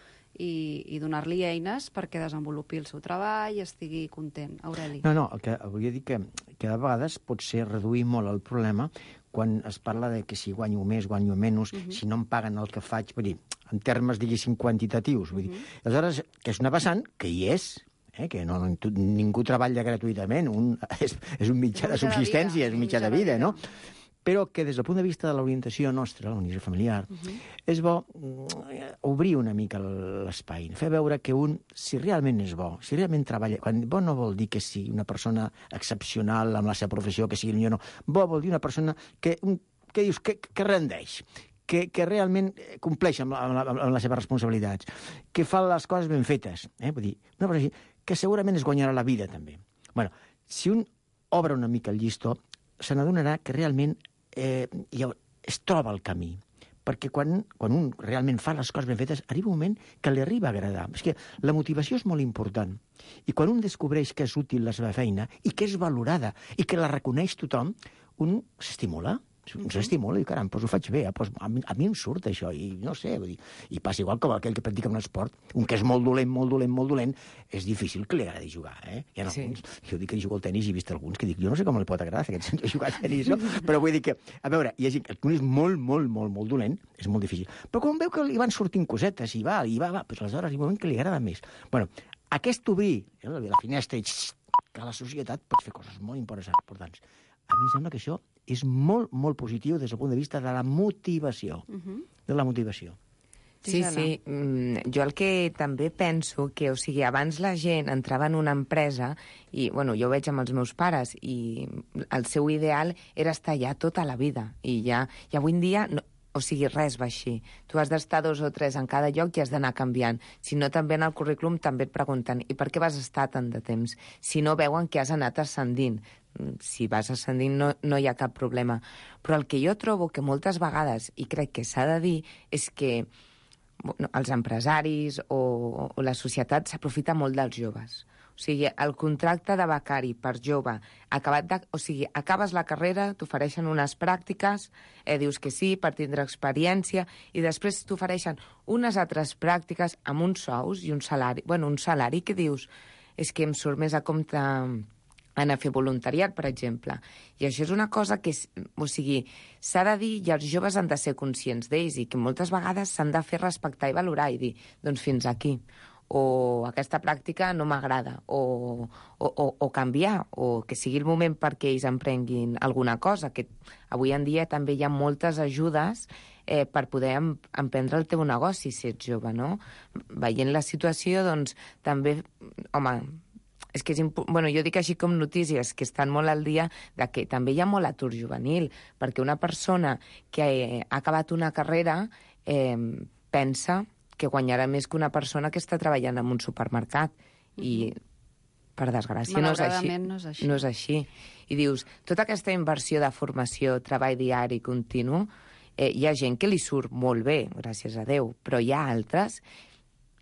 i, i donar-li eines perquè desenvolupi el seu treball i estigui content. Aureli. No, no, el que volia dir que, que a vegades pot ser reduir molt el problema quan es parla de que si guanyo més, guanyo menys, uh-huh. si no em paguen el que faig, vull dir, en termes, diguéssim, quantitatius. Vull dir. Uh-huh. Aleshores, que és una vessant que hi és, eh, que no, ningú treballa gratuïtament, un, és, és un mitjà de subsistència, és un mitjà de vida, no? Però que des del punt de vista de l'orientació nostra, l'orientació familiar, uh-huh. és bo obrir una mica l'espai, fer veure que un, si realment és bo, si realment treballa... Quan bo no vol dir que sigui una persona excepcional amb la seva professió, que sigui millor, no. Bo vol dir una persona que, que dius, que, que rendeix, que, que realment compleix amb, la, amb, amb les seves responsabilitats, que fa les coses ben fetes. Eh? Vull dir, una persona així, que segurament es guanyarà la vida, també. Bueno, si un obre una mica el llistó, se n'adonarà que realment eh, es troba el camí. Perquè quan, quan un realment fa les coses ben fetes, arriba un moment que li arriba a agradar. És que la motivació és molt important. I quan un descobreix que és útil la seva feina i que és valorada i que la reconeix tothom, un s'estimula. Un s'estimula i, caram, doncs ho faig bé, eh? Pues a, mi, a mi em surt això, i no sé, vull dir, i passa igual com aquell que practica un esport, un que és molt dolent, molt dolent, molt dolent, és difícil que li agradi jugar, eh? Hi ha alguns, sí. Jo dic que jugo al tenis i he vist alguns que dic, jo no sé com li pot agradar aquest senyor jugar a tenis, no? Però vull dir que, a veure, hi ha gent que és molt, molt, molt, molt dolent, és molt difícil. Però quan veu que li van sortint cosetes i va, i va, va, doncs aleshores hi ha un moment que li agrada més. Bueno, aquest obrir eh, la finestra i que a la societat pots fer coses molt importants. A mi em sembla que això és molt, molt positiu des del punt de vista de la motivació. Uh-huh. De la motivació. Sí, sí. Mm, jo el que també penso que, o sigui, abans la gent entrava en una empresa i, bueno, jo ho veig amb els meus pares i el seu ideal era estar allà tota la vida. I ja, i avui en dia, no, o sigui, res va així. Tu has d'estar dos o tres en cada lloc i has d'anar canviant. Si no, també en el currículum també et pregunten i per què vas estar tant de temps? Si no, veuen que has anat ascendint. Si vas ascendint no, no hi ha cap problema. Però el que jo trobo que moltes vegades, i crec que s'ha de dir, és que bueno, els empresaris o, o la societat s'aprofita molt dels joves. O sigui, el contracte de becari per jove, acabat de, o sigui, acabes la carrera, t'ofereixen unes pràctiques, eh, dius que sí per tindre experiència, i després t'ofereixen unes altres pràctiques amb uns sous i un salari, bueno, un salari que dius, és que em surt més a compte anar a fer voluntariat, per exemple. I això és una cosa que, és, o sigui, s'ha de dir i els joves han de ser conscients d'ells i que moltes vegades s'han de fer respectar i valorar i dir, doncs fins aquí. O aquesta pràctica no m'agrada, o, o, o, o canviar, o que sigui el moment perquè ells emprenguin alguna cosa, que avui en dia també hi ha moltes ajudes eh, per poder em, emprendre el teu negoci si ets jove, no? Veient la situació, doncs, també, home, és que és impo... bueno, jo dic així com notícies que estan molt al dia de que també hi ha molt atur juvenil, perquè una persona que ha acabat una carrera eh, pensa que guanyarà més que una persona que està treballant en un supermercat. I, per desgràcia, no és així. no és així. No és així. I dius, tota aquesta inversió de formació, treball diari continu, eh, hi ha gent que li surt molt bé, gràcies a Déu, però hi ha altres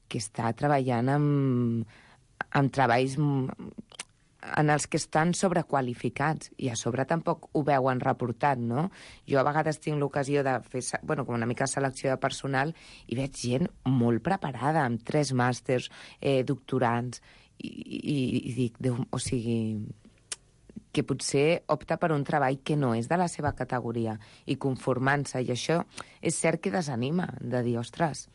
que està treballant amb, amb treballs en els que estan sobrequalificats i a sobre tampoc ho veuen reportat, no? Jo a vegades tinc l'ocasió de fer, bueno, com una mica selecció de personal i veig gent molt preparada, amb tres màsters, eh, doctorants, i, i, i dic, Déu, o sigui, que potser opta per un treball que no és de la seva categoria i conformant-se, i això és cert que desanima, de dir, ostres,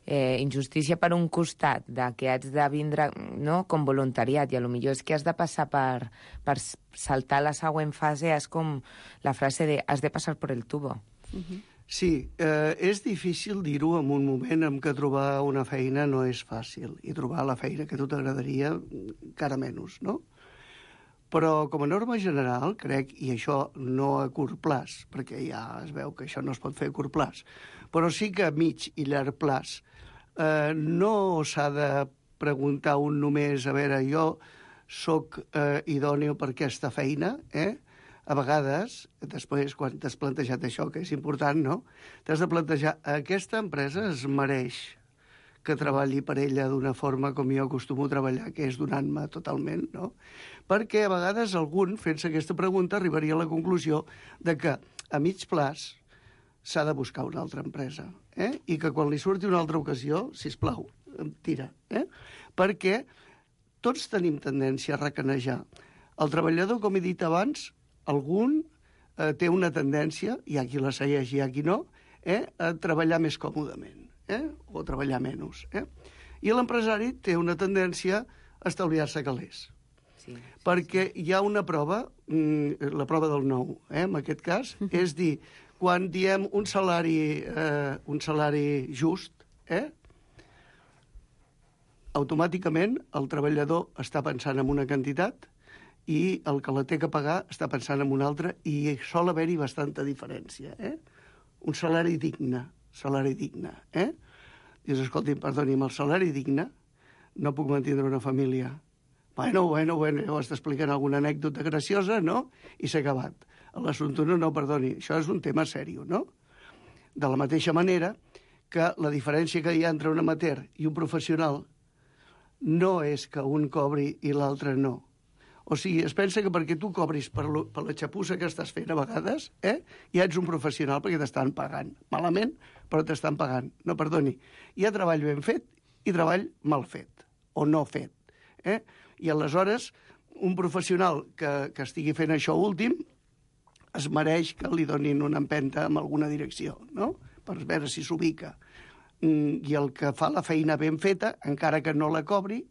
Eh, injustícia per un costat, de que has de vindre, no?, com voluntariat, i a lo millor és que has de passar per, per saltar la següent fase, és com la frase de has de passar per el tubo. Uh-huh. Sí, eh, és difícil dir-ho en un moment en què trobar una feina no és fàcil, i trobar la feina que a tu t'agradaria encara menys, no? Però com a norma general, crec, i això no a curt plaç, perquè ja es veu que això no es pot fer a curt plaç, però sí que a mig i llarg plaç, eh, no s'ha de preguntar un només, a veure, jo sóc eh, idòneo per aquesta feina, eh? A vegades, després, quan t'has plantejat això, que és important, no?, t'has de plantejar, aquesta empresa es mereix que treballi per ella d'una forma com jo acostumo a treballar, que és donant-me totalment, no? Perquè a vegades algun, fent-se aquesta pregunta, arribaria a la conclusió de que a mig plaç s'ha de buscar una altra empresa, eh? I que quan li surti una altra ocasió, sisplau, tira, eh? Perquè tots tenim tendència a recanejar. El treballador, com he dit abans, algun eh, té una tendència, hi ha qui la segueix i hi ha qui no, eh, a treballar més còmodament. Eh? O treballar menys. Eh? I l'empresari té una tendència a estalviar-se calés. Sí, sí, perquè sí. Hi ha una prova, la prova del nou, eh? En aquest cas, uh-huh. És dir, quan diem un salari, eh, un salari just, eh? Automàticament el treballador està pensant en una quantitat i el que la té que pagar està pensant en una altra, i sol haver-hi bastanta diferència. Eh? Un salari digne, salari digne, eh? Dius, escolti'm, perdoni, amb el salari digne no puc mantenir una família. Bueno, bueno, bueno, llavors t'expliquen alguna anècdota graciosa, no? I s'ha acabat. L'assumpte no, no, perdoni, això és un tema seriós, no? De la mateixa manera que la diferència que hi ha entre un amateur i un professional no és que un cobri i l'altre no. O sigui, es pensa que perquè tu cobris per, lo, per la xapussa que estàs fent a vegades, eh, ja ets un professional perquè t'estan pagant. Malament, però t'estan pagant. No, perdoni. Hi ha treball ben fet i treball mal fet, o no fet. Eh? I aleshores, un professional que, que estigui fent això últim es mereix que li donin una empenta en alguna direcció, no?, per veure si s'ubica. I el que fa la feina ben feta, encara que no la cobri,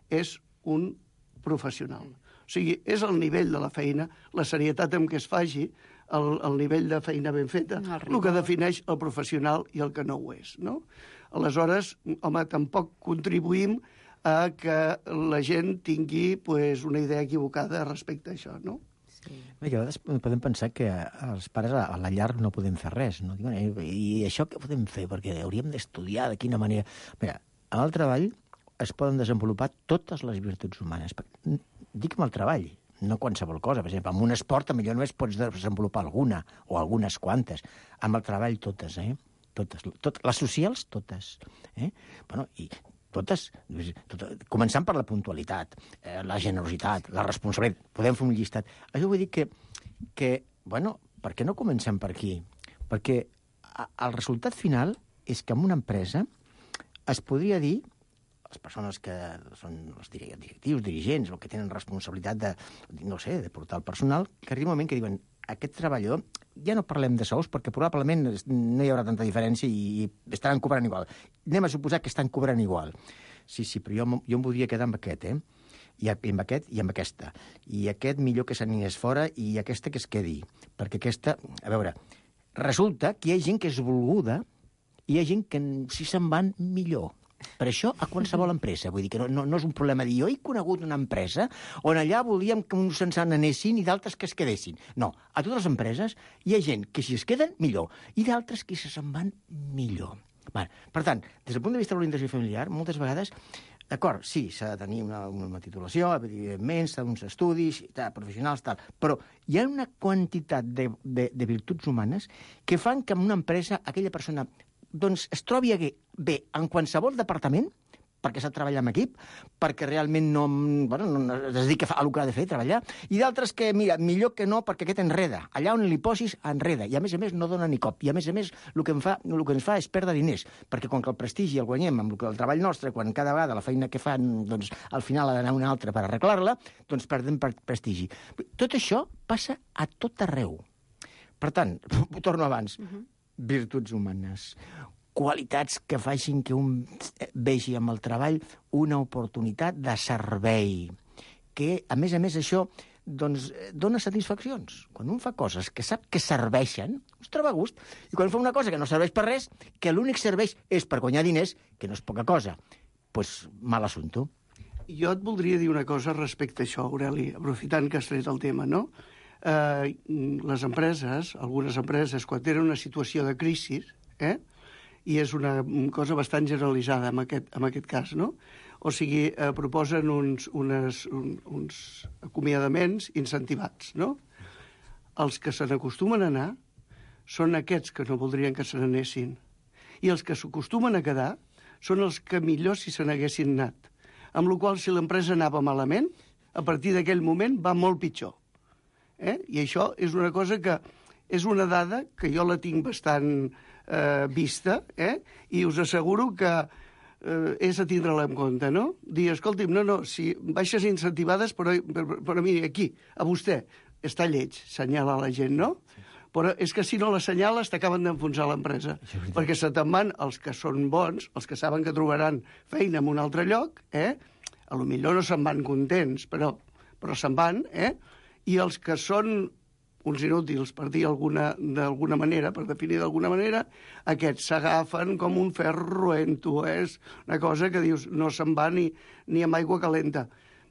és un professional. O sigui, és el nivell de la feina, la serietat amb què es faci, el, el nivell de feina ben feta, el, el que defineix el professional i el que no ho és, no? aleshores, home, tampoc contribuïm a que la gent tingui pues, una idea equivocada respecte a això, no? Sí. A vegades podem pensar que els pares a la llar no podem fer res, no? I això què podem fer? Perquè hauríem d'estudiar de quina manera... Mira, en el treball es poden desenvolupar totes les virtuts humanes. Dic amb el treball, no qualsevol cosa. Per exemple, en un esport potser només pots desenvolupar alguna, o algunes quantes. Amb el treball totes, eh? Totes. Tot, les socials, totes. Eh? Bueno, i... totes, tot, començant per la puntualitat, eh, la generositat, la responsabilitat, podem fer un llistat. Això vull dir que, que, bueno, per què no comencem per aquí? Perquè a, el resultat final és que en una empresa es podria dir, les persones que són els directius, dirigents, o que tenen responsabilitat de, no sé, de portar el personal, que arriba un moment que diuen, aquest treballador, ja no parlem de sous, perquè probablement no hi haurà tanta diferència i estaran cobrant igual. Anem a suposar que estan cobrant igual. Sí, sí, però jo, jo em voldria quedar amb aquest, eh? I amb aquest i amb aquesta. I aquest millor que se n'anés fora i aquesta que es quedi. Perquè aquesta... A veure, resulta que hi ha gent que és volguda i hi ha gent que si se'n van millor. Per això, a qualsevol empresa. Vull dir que no, no, no és un problema dir jo he conegut una empresa on allà volíem que uns se'n anessin i d'altres que es quedessin. No, a totes les empreses hi ha gent que si es queden, millor, i d'altres que si se'n van, millor. Bé, per tant, des del punt de vista de l'orientació familiar, moltes vegades, d'acord, sí, s'ha de tenir una, una titulació, evidentment, s'ha d'uns estudis tal, professionals, tal, però hi ha una quantitat de, de, de virtuts humanes que fan que en una empresa aquella persona doncs es trobi bé en qualsevol departament, perquè s'ha de treballar en equip, perquè realment no, bueno, no es dedica a el que ha de fer, treballar, i d'altres que, mira, millor que no, perquè aquest enreda. Allà on li posis, enreda. I a més a més no dona ni cop. I a més a més el que, em fa, el que ens fa és perdre diners, perquè quan el prestigi el guanyem amb el treball nostre, quan cada vegada la feina que fan, doncs, al final ha d'anar una altra per arreglar-la, doncs perdem prestigi. Tot això passa a tot arreu. Per tant, ho torno abans, uh-huh. Virtuts humanes, qualitats que facin que un vegi amb el treball una oportunitat de servei, que, a més a més, això doncs, dona satisfaccions. Quan un fa coses que sap que serveixen, es troba a gust, i quan fa una cosa que no serveix per res, que l'únic serveix és per guanyar diners, que no és poca cosa, doncs pues, mal assumpto. Jo et voldria dir una cosa respecte a això, Aureli, aprofitant que has tret el tema, no? Eh, les empreses, algunes empreses, quan tenen una situació de crisi, eh, i és una cosa bastant generalitzada en aquest, en aquest cas, no? O sigui, eh, proposen uns, unes, un, uns acomiadaments incentivats, no? Els que se n'acostumen a anar són aquests que no voldrien que se n'anessin. I els que s'acostumen a quedar són els que millor si se n'haguessin anat. Amb la qual cosa, si l'empresa anava malament, a partir d'aquell moment va molt pitjor. Eh? I això és una cosa que és una dada que jo la tinc bastant eh, vista, eh? I us asseguro que eh, és a tindre-la en compte, no? Dir, escolti'm, no, no, si baixes incentivades, però, però, però mira, aquí, a vostè, està lleig, senyala la gent, no? Però és que si no l'assenyales t'acaben d'enfonsar l'empresa, perquè se te'n van els que són bons, els que saben que trobaran feina en un altre lloc, eh? A lo millor no se'n van contents, però, però se'n van, eh? I els que són uns inútils, per dir d'alguna manera, per definir d'alguna manera, aquests s'agafen com un ferro roent-ho, eh? És una cosa que dius, no se'n va ni, ni amb aigua calenta.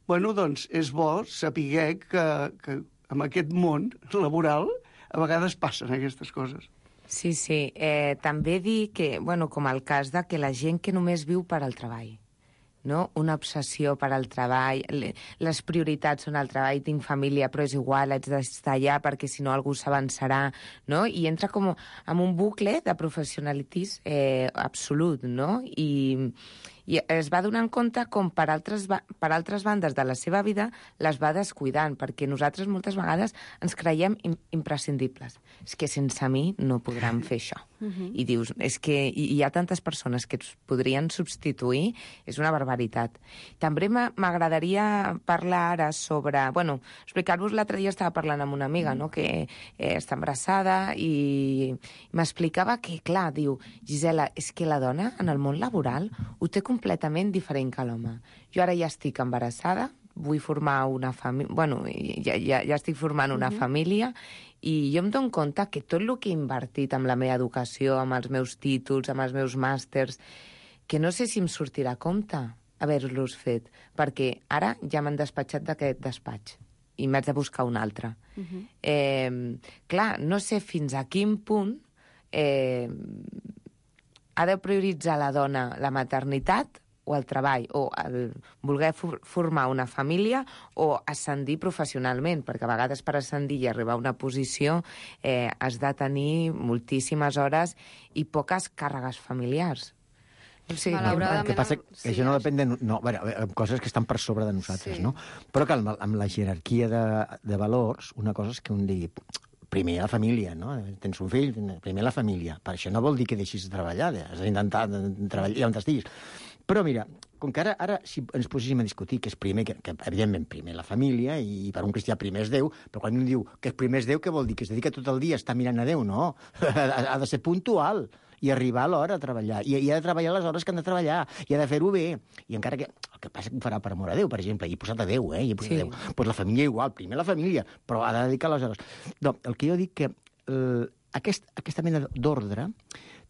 Bueno, doncs és bo saber que, que en aquest món laboral a vegades passen aquestes coses. Sí, sí. Eh, també dir que, bueno, com el cas de que la gent que només viu per al treball, no? Una obsessió per al treball, les prioritats són el treball, tinc família, però és igual, haig d'estar allà perquè si no algú s'avançarà, no? I entra com en un bucle de professionalitis eh, absolut, no? I, i es va donant compte com per altres, per altres bandes de la seva vida les va descuidant, perquè nosaltres moltes vegades ens creiem imprescindibles. És que sense mi no podran fer això. Uh-huh. I dius, és que hi ha tantes persones que ens podrien substituir, és una barbaritat. També m'agradaria parlar ara sobre... Bueno, explicar-vos, l'altre dia estava parlant amb una amiga, no?, que eh, està embarassada i m'explicava que, clar, diu, Gisela, és que la dona en el món laboral ho té completament diferent que l'home. Jo ara ja estic embarassada, vull formar una família... Bueno, ja, ja, ja estic formant una uh-huh. família i jo em dono compte que tot el que he invertit en la meva educació, amb els meus títols, amb els meus màsters, que no sé si em sortirà a compte haver-los fet, perquè ara ja m'han despatxat d'aquest despatx i m'haig de buscar un altre. Uh -huh. eh, clar, no sé fins a quin punt eh, ha de prioritzar la dona la maternitat o el treball, o el voler for formar una família o ascendir professionalment, perquè a vegades per ascendir i arribar a una posició eh, has de tenir moltíssimes hores i poques càrregues familiars. Sí, malauradament... El que passa que sí, això no depèn de... No, bueno, coses que estan per sobre de nosaltres, sí. no? Però que amb, amb la jerarquia de, de valors, una cosa és que un digui primer la família, no? Tens un fill, primer la família. Per això no vol dir que deixis de treballar, has d'intentar treballar on estiguis. Però mira, com que ara, ara si ens poséssim a discutir que és primer, que, que evidentment primer la família, i per un cristià primer és Déu, però quan un diu que és primer és Déu, què vol dir? Que es dedica tot el dia a estar mirant a Déu? No, ha de ser puntual i arribar a l'hora a treballar. I, i ha de treballar les hores que han de treballar, i ha de fer-ho bé. I encara que... El que passa que ho farà per amor a Déu, per exemple, i he posat a Déu, eh? I he posat sí. a Déu. Pues la família igual, primer la família, però ha de dedicar les hores. No, el que jo dic que eh, aquest, aquesta mena d'ordre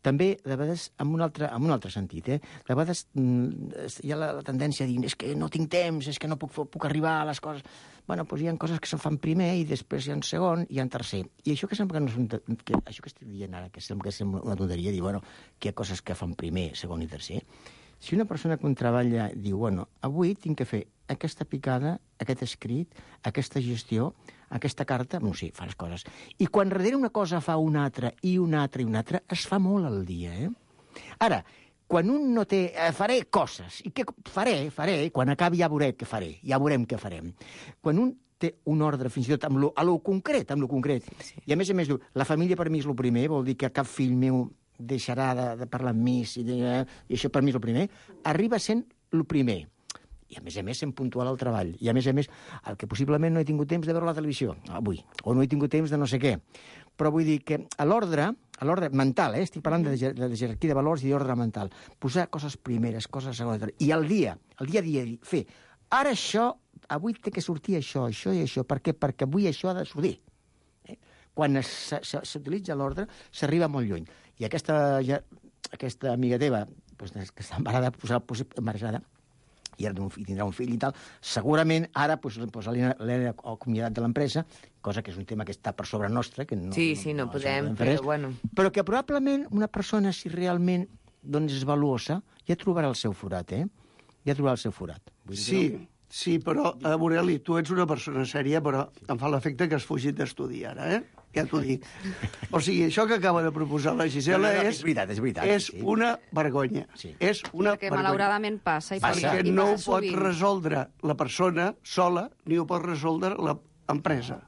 també, de vegades, en un altre, en un altre sentit, eh? De vegades hi ha la, la tendència a dir és que no tinc temps, és que no puc, puc arribar a les coses... Bueno, doncs hi ha coses que se'n fan primer i després hi ha un segon i hi ha un tercer. I això que sembla que no és un... Que, això que estic dient ara, que sembla que sembla una tonteria, dir, bueno, que hi ha coses que fan primer, segon i tercer. Si una persona que treballa diu, bueno, avui tinc que fer aquesta picada, aquest escrit, aquesta gestió, aquesta carta, no sé, fa les coses. I quan darrere una cosa fa una altra, i una altra, i una altra, es fa molt al dia, eh? Ara, quan un no té... Eh, faré coses, i què faré, faré, quan acabi ja veurem què faré, ja veurem què farem. Quan un té un ordre, fins i tot amb lo, a lo concret, amb lo concret, sí. I a més a més diu, la família per mi és el primer, vol dir que cap fill meu deixarà de, de parlar amb mi, i, de, i això per mi és el primer, arriba sent el primer. I a més a més sent puntual al treball. I a més a més, el que possiblement no he tingut temps de veure la televisió avui, o no he tingut temps de no sé què. Però vull dir que a l'ordre, a l'ordre mental, eh? Estic parlant de, de, de jerarquia de valors i d'ordre mental, posar coses primeres, coses segones, i al dia, al dia a dia, fer, ara això, avui té que sortir això, això i això, per què? Perquè avui això ha de sortir. Eh? Quan s'utilitza l'ordre, s'arriba molt lluny. I aquesta, ja, aquesta amiga teva, pues, que està embarada, embarada, i ara tindrà un fill i tal, segurament ara pues, pues, l'he acomiadat de l'empresa, cosa que és un tema que està per sobre nostre, que no, sí, sí, no, no podem, no però bueno. Però que probablement una persona, si realment doncs, és valuosa, ja trobarà el seu forat, eh? Ja trobarà el seu forat. Vull dir sí, no? sí, però, uh, Morelli, tu ets una persona sèria, però em fa l'efecte que has fugit d'estudi ara, eh? Ja t'ho dic. O sigui, això que acaba de proposar la Gisela no, no, no, és, és, veritat, és, veritat, és sí. una vergonya. Sí. És una Perquè vergonya. malauradament passa. I Perquè passa, i no ho passa pot sovint. resoldre la persona sola, ni ho pot resoldre l'empresa.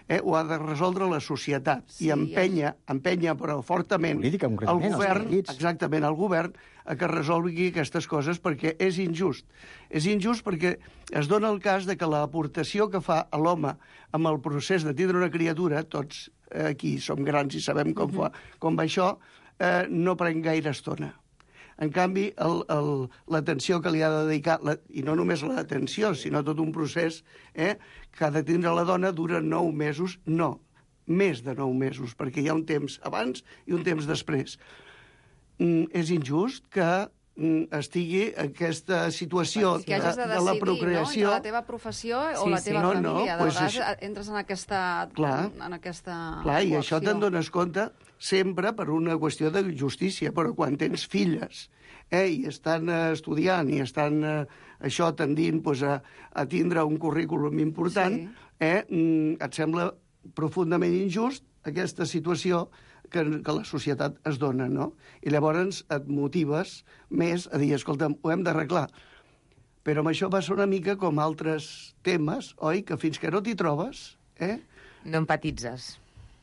Eh? Ho ha de resoldre la societat. Sí, I empenya, ja. empenya però fortament política, el govern, exactament, el govern, a que resolgui aquestes coses perquè és injust. És injust perquè es dona el cas de que l'aportació que fa a l'home amb el procés de tindre una criatura, tots aquí som grans i sabem com, uh-huh. fa, com va això, eh, no pren gaire estona. En canvi, l'atenció que li ha de dedicar, la, i no només l'atenció, sinó tot un procés eh, que ha de tindre la dona dura nou mesos, no, més de nou mesos, perquè hi ha un temps abans i un temps després. Mm, és injust que mm, estigui aquesta situació que de, de, de la procreació... No? De la teva professió sí, o la sí, teva no, família. No, de pues vegades això... entres en aquesta, clar, en aquesta clar, i coacció. això te'n dones compte sempre per una qüestió de justícia, però quan tens filles eh, i estan eh, estudiant i estan eh, això tendint pues, a, a tindre un currículum important, sí. eh, et sembla profundament injust aquesta situació que, que la societat es dona, no? I llavors et motives més a dir, escolta'm, ho hem d'arreglar. Però amb això va ser una mica com altres temes, oi? Que fins que no t'hi trobes... Eh? No empatitzes.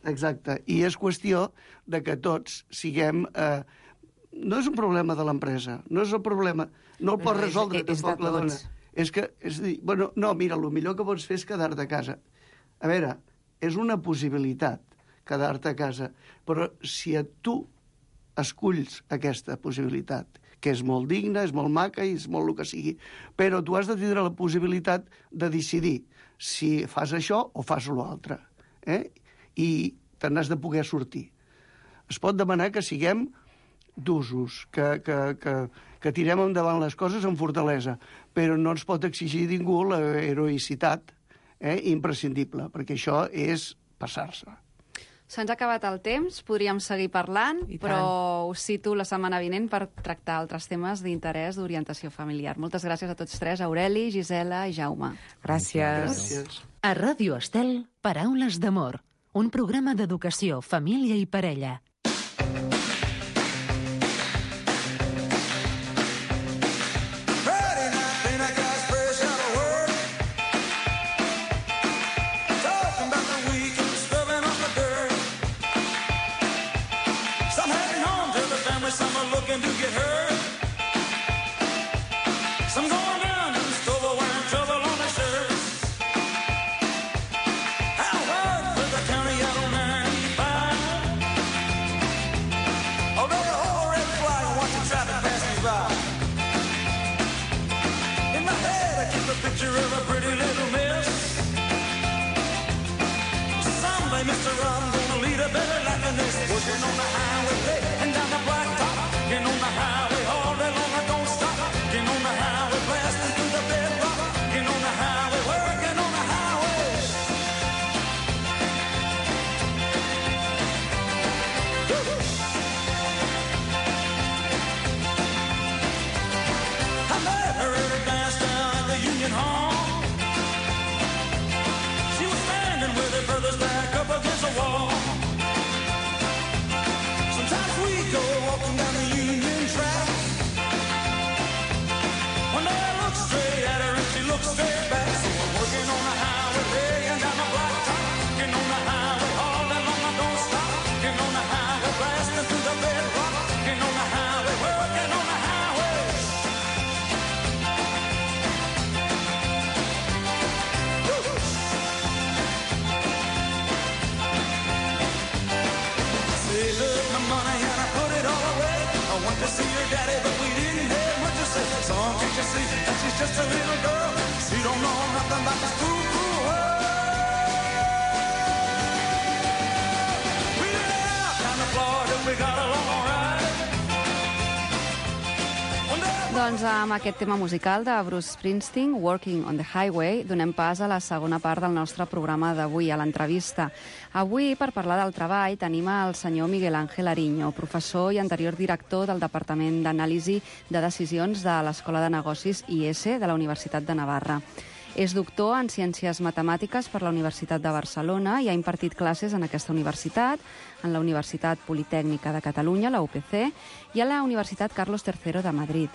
Exacte. I és qüestió de que tots siguem... Eh, no és un problema de l'empresa, no és un problema... No el no, pot resoldre és, és tampoc la dona. És que, és dir, bueno, no, mira, el millor que pots fer és quedar-te a casa. A veure, és una possibilitat quedar-te a casa, però si a tu esculls aquesta possibilitat, que és molt digna, és molt maca i és molt el que sigui, però tu has de tindre la possibilitat de decidir si fas això o fas l'altre. Eh? I te n'has de poder sortir. Es pot demanar que siguem d'usos, que, que, que, que tirem endavant les coses amb fortalesa, però no ens pot exigir ningú l'heroïcitat eh, imprescindible, perquè això és passar-se. Se'ns ha acabat el temps, podríem seguir parlant, però us cito la setmana vinent per tractar altres temes d'interès d'orientació familiar. Moltes gràcies a tots tres, Aureli, Gisela i Jaume. Gràcies. Gràcies. A Ràdio Estel, Paraules d'amor, un programa d'educació, família i parella. Just a little girl, she don't know nothing about this cool, cool world. We went out down to Florida, we got along all right. Doncs amb aquest tema musical de Bruce Springsteen, Working on the Highway, donem pas a la segona part del nostre programa d'avui, a l'entrevista. Avui, per parlar del treball, tenim el senyor Miguel Ángel Ariño, professor i anterior director del Departament d'Anàlisi de Decisions de l'Escola de Negocis I S de la Universitat de Navarra. És doctor en Ciències Matemàtiques per la Universitat de Barcelona i ha impartit classes en aquesta universitat, en la Universitat Politècnica de Catalunya, la U P C, i a la Universitat Carlos tercero de Madrid.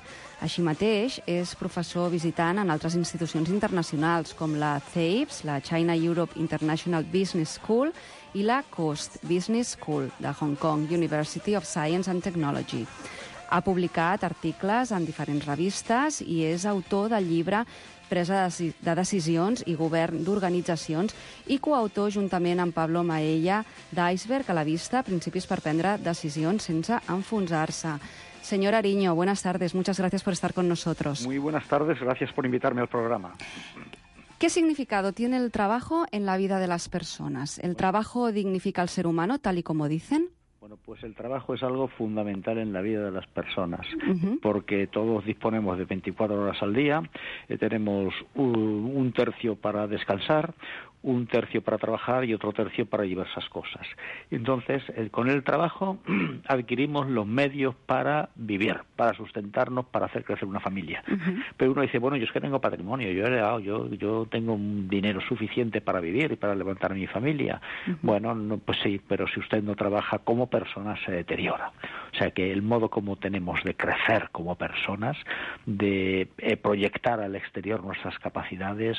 Així mateix, és professor visitant en altres institucions internacionals, com la C E I B S, la China Europe International Business School, i la Coast Business School de Hong Kong University of Science and Technology. Ha publicat articles en diferents revistes i és autor del llibre Presa de Decisions i Govern d'Organitzacions i coautor juntament amb Pablo Maella d'Iceberg a la vista, principis per prendre decisions sense enfonsar-se. Señor Ariño, buenas tardes. Muchas gracias por estar con nosotros. Muy buenas tardes. Gracias por invitarme al programa. ¿Qué significado tiene el trabajo en la vida de las personas? ¿El trabajo dignifica al ser humano, tal y como dicen? Bueno, pues el trabajo es algo fundamental en la vida de las personas, Uh-huh. porque todos disponemos de veinticuatro horas al día, eh, tenemos un, un tercio para descansar, un tercio para trabajar y otro tercio para diversas cosas. Entonces, eh, con el trabajo adquirimos los medios para vivir, para sustentarnos, para hacer crecer una familia. Uh-huh. Pero uno dice, bueno, yo es que tengo patrimonio, yo he heredado, yo, yo tengo un dinero suficiente para vivir y para levantar a mi familia. Uh-huh. Bueno, no, pues sí, pero si usted no trabaja como persona se deteriora. O sea que el modo como tenemos de crecer como personas, de eh, proyectar al exterior nuestras capacidades,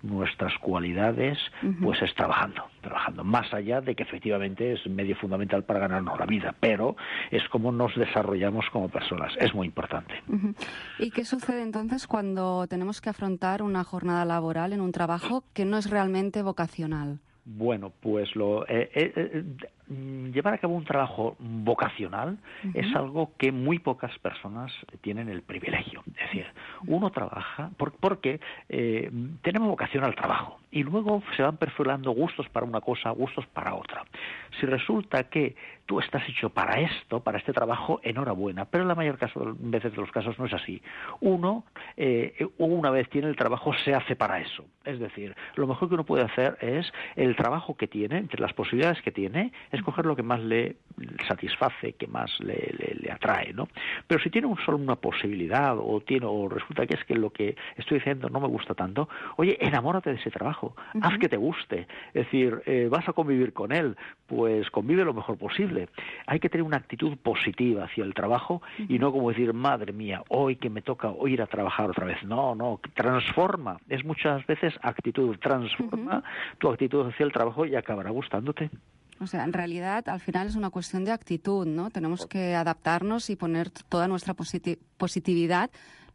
nuestras cualidades, Uh-huh. pues es trabajando, trabajando. Más allá de que efectivamente es medio fundamental para ganarnos la vida, pero es como nos desarrollamos como personas. Es muy importante. Uh-huh. ¿Y qué sucede entonces cuando tenemos que afrontar una jornada laboral en un trabajo que no es realmente vocacional? Bueno, pues lo, eh, eh, llevar a cabo un trabajo vocacional uh-huh. es algo que muy pocas personas tienen el privilegio. Es decir, uno trabaja por, porque eh, tenemos vocación al trabajo y luego se van perfilando gustos para una cosa, gustos para otra. Si resulta que tú estás hecho para esto, para este trabajo, enhorabuena, pero en la mayor caso, veces de los casos no es así. Uno, eh, una vez tiene el trabajo, se hace para eso. Es decir, lo mejor que uno puede hacer es el trabajo que tiene, entre las posibilidades que tiene, escoger lo que más le satisface, que más le, le, le atrae, ¿no? Pero si tiene un solo una posibilidad o tiene o resulta que es que lo que estoy diciendo no me gusta tanto, oye, enamórate de ese trabajo, uh-huh. haz que te guste, es decir, eh, vas a convivir con él, pues convive lo mejor posible. Hay que tener una actitud positiva hacia el trabajo uh-huh. y no como decir, madre mía, hoy que me toca hoy ir a trabajar otra vez. No, no, transforma, es muchas veces actitud, transforma uh-huh. tu actitud hacia el trabajo y acabará gustándote. O sea, en realidad, al final es una cuestión de actitud, ¿no? Tenemos que adaptarnos y poner toda nuestra positi- positividad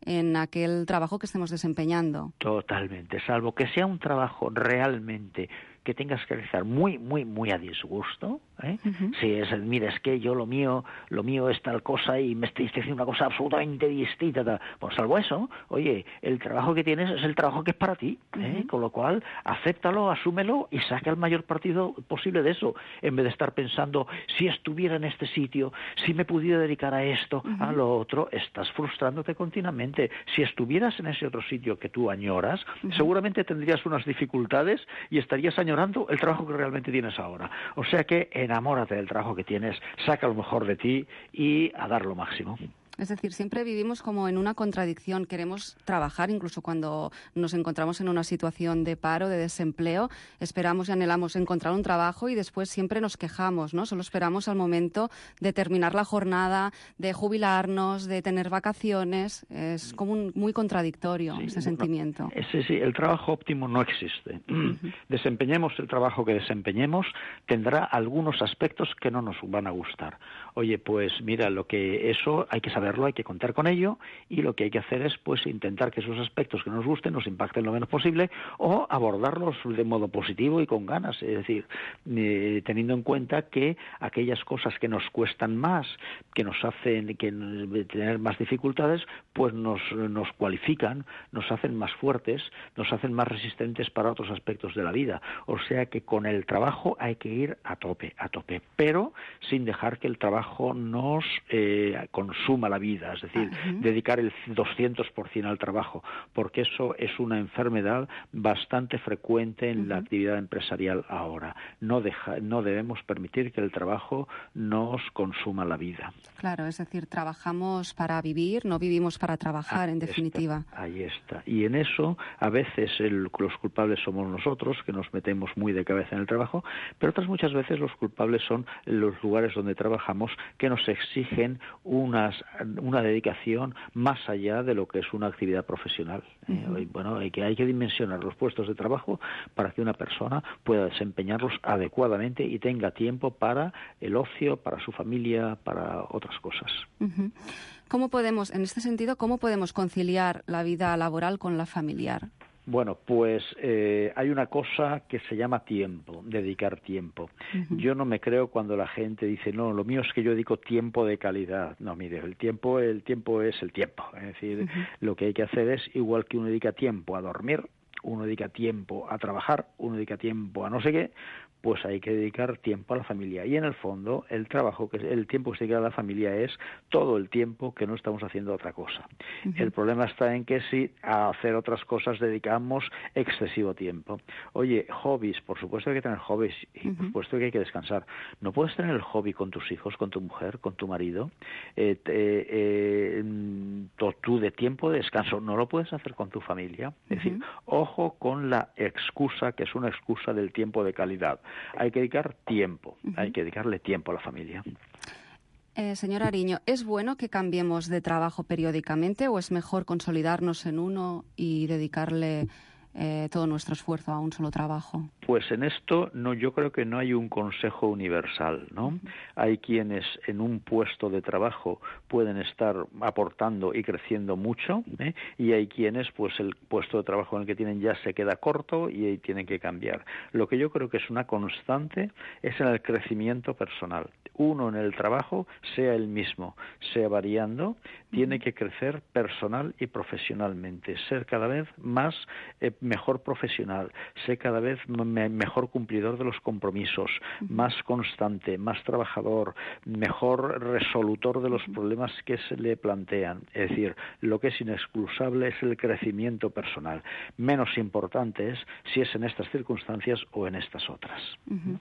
en aquel trabajo que estemos desempeñando. Totalmente, salvo que sea un trabajo realmente que tengas que realizar muy, muy, muy a disgusto, ¿eh? Uh-huh. Si es, mira, es que yo lo mío, lo mío es tal cosa y me estoy haciendo una cosa absolutamente distinta, tal. Pues salvo eso, oye, el trabajo que tienes es el trabajo que es para ti, ¿eh? Uh-huh. Con lo cual, acéptalo, asúmelo y saca el mayor partido posible de eso, en vez de estar pensando, si estuviera en este sitio, si me pudiera dedicar a esto, uh-huh. a lo otro, estás frustrándote continuamente. Si estuvieras en ese otro sitio que tú añoras, uh-huh. seguramente tendrías unas dificultades y estarías añorando el trabajo que realmente tienes ahora. O sea que enamórate del trabajo que tienes, saca lo mejor de ti y a dar lo máximo. Es decir, siempre vivimos como en una contradicción. Queremos trabajar, incluso cuando nos encontramos en una situación de paro, de desempleo, esperamos y anhelamos encontrar un trabajo y después siempre nos quejamos, ¿no? Solo esperamos al momento de terminar la jornada, de jubilarnos, de tener vacaciones. Es como un, muy contradictorio sí, ese sentimiento. No, ese, sí, el trabajo óptimo no existe. Uh-huh. Desempeñemos el trabajo que desempeñemos, tendrá algunos aspectos que no nos van a gustar. Oye, pues mira, lo que eso hay que saberlo, hay que contar con ello y lo que hay que hacer es pues intentar que esos aspectos que nos gusten nos impacten lo menos posible o abordarlos de modo positivo y con ganas, es decir, eh, teniendo en cuenta que aquellas cosas que nos cuestan más, que nos hacen que tener más dificultades, pues nos, nos cualifican, nos hacen más fuertes, nos hacen más resistentes para otros aspectos de la vida. O sea que con el trabajo hay que ir a tope, a tope, pero sin dejar que el trabajo nos eh, consuma la vida, es decir, uh-huh. dedicar el doscientos por ciento al trabajo, porque eso es una enfermedad bastante frecuente en uh-huh. la actividad empresarial ahora. No, deja, no debemos permitir que el trabajo nos consuma la vida. Claro, es decir, trabajamos para vivir, no vivimos para trabajar, ahí en definitiva. Está, ahí está. Y en eso, a veces el, los culpables somos nosotros, que nos metemos muy de cabeza en el trabajo, pero otras muchas veces los culpables son los lugares donde trabajamos, que nos exigen unas, una dedicación más allá de lo que es una actividad profesional. Uh-huh. Eh, bueno, hay que, hay que dimensionar los puestos de trabajo para que una persona pueda desempeñarlos adecuadamente y tenga tiempo para el ocio, para su familia, para otras cosas. Uh-huh. ¿Cómo podemos, en este sentido, cómo podemos conciliar la vida laboral con la familiar? Bueno, pues eh, hay una cosa que se llama tiempo, dedicar tiempo. Uh-huh. Yo no me creo cuando la gente dice, no, lo mío es que yo dedico tiempo de calidad. No, mire, el tiempo, el tiempo es el tiempo. Es decir, uh-huh. lo que hay que hacer es, igual que uno dedica tiempo a dormir, uno dedica tiempo a trabajar, uno dedica tiempo a no sé qué, pues hay que dedicar tiempo a la familia. Y en el fondo, el trabajo, que el tiempo que se dedica a la familia es todo el tiempo que no estamos haciendo otra cosa. Uh-huh. El problema está en que si a hacer otras cosas dedicamos excesivo tiempo. Oye, hobbies, por supuesto que hay que tener hobbies y uh-huh. por supuesto que hay que descansar. No puedes tener el hobby con tus hijos, con tu mujer, con tu marido. Eh, eh, eh, tú de tiempo de descanso no lo puedes hacer con tu familia. Es uh-huh. decir, ojo con la excusa, que es una excusa del tiempo de calidad. Hay que dedicar tiempo, uh-huh. hay que dedicarle tiempo a la familia. Eh, señor Ariño, ¿es bueno que cambiemos de trabajo periódicamente o es mejor consolidarnos en uno y dedicarle eh, todo nuestro esfuerzo a un solo trabajo? Pues en esto no, yo creo que no hay un consejo universal, ¿no? Uh-huh. Hay quienes en un puesto de trabajo pueden estar aportando y creciendo mucho, ¿eh? Y hay quienes, pues el puesto de trabajo en el que tienen ya se queda corto y ahí tienen que cambiar. Lo que yo creo que es una constante es en el crecimiento personal. Uno en el trabajo, sea el mismo, sea variando, tiene que crecer personal y profesionalmente, ser cada vez más eh, mejor profesional, ser cada vez me, mejor cumplidor de los compromisos, uh-huh. más constante, más trabajador, mejor resolutor de los uh-huh. problemas que se le plantean. Es decir, lo que es inexcusable es el crecimiento personal. Menos importante es si es en estas circunstancias o en estas otras. Uh-huh.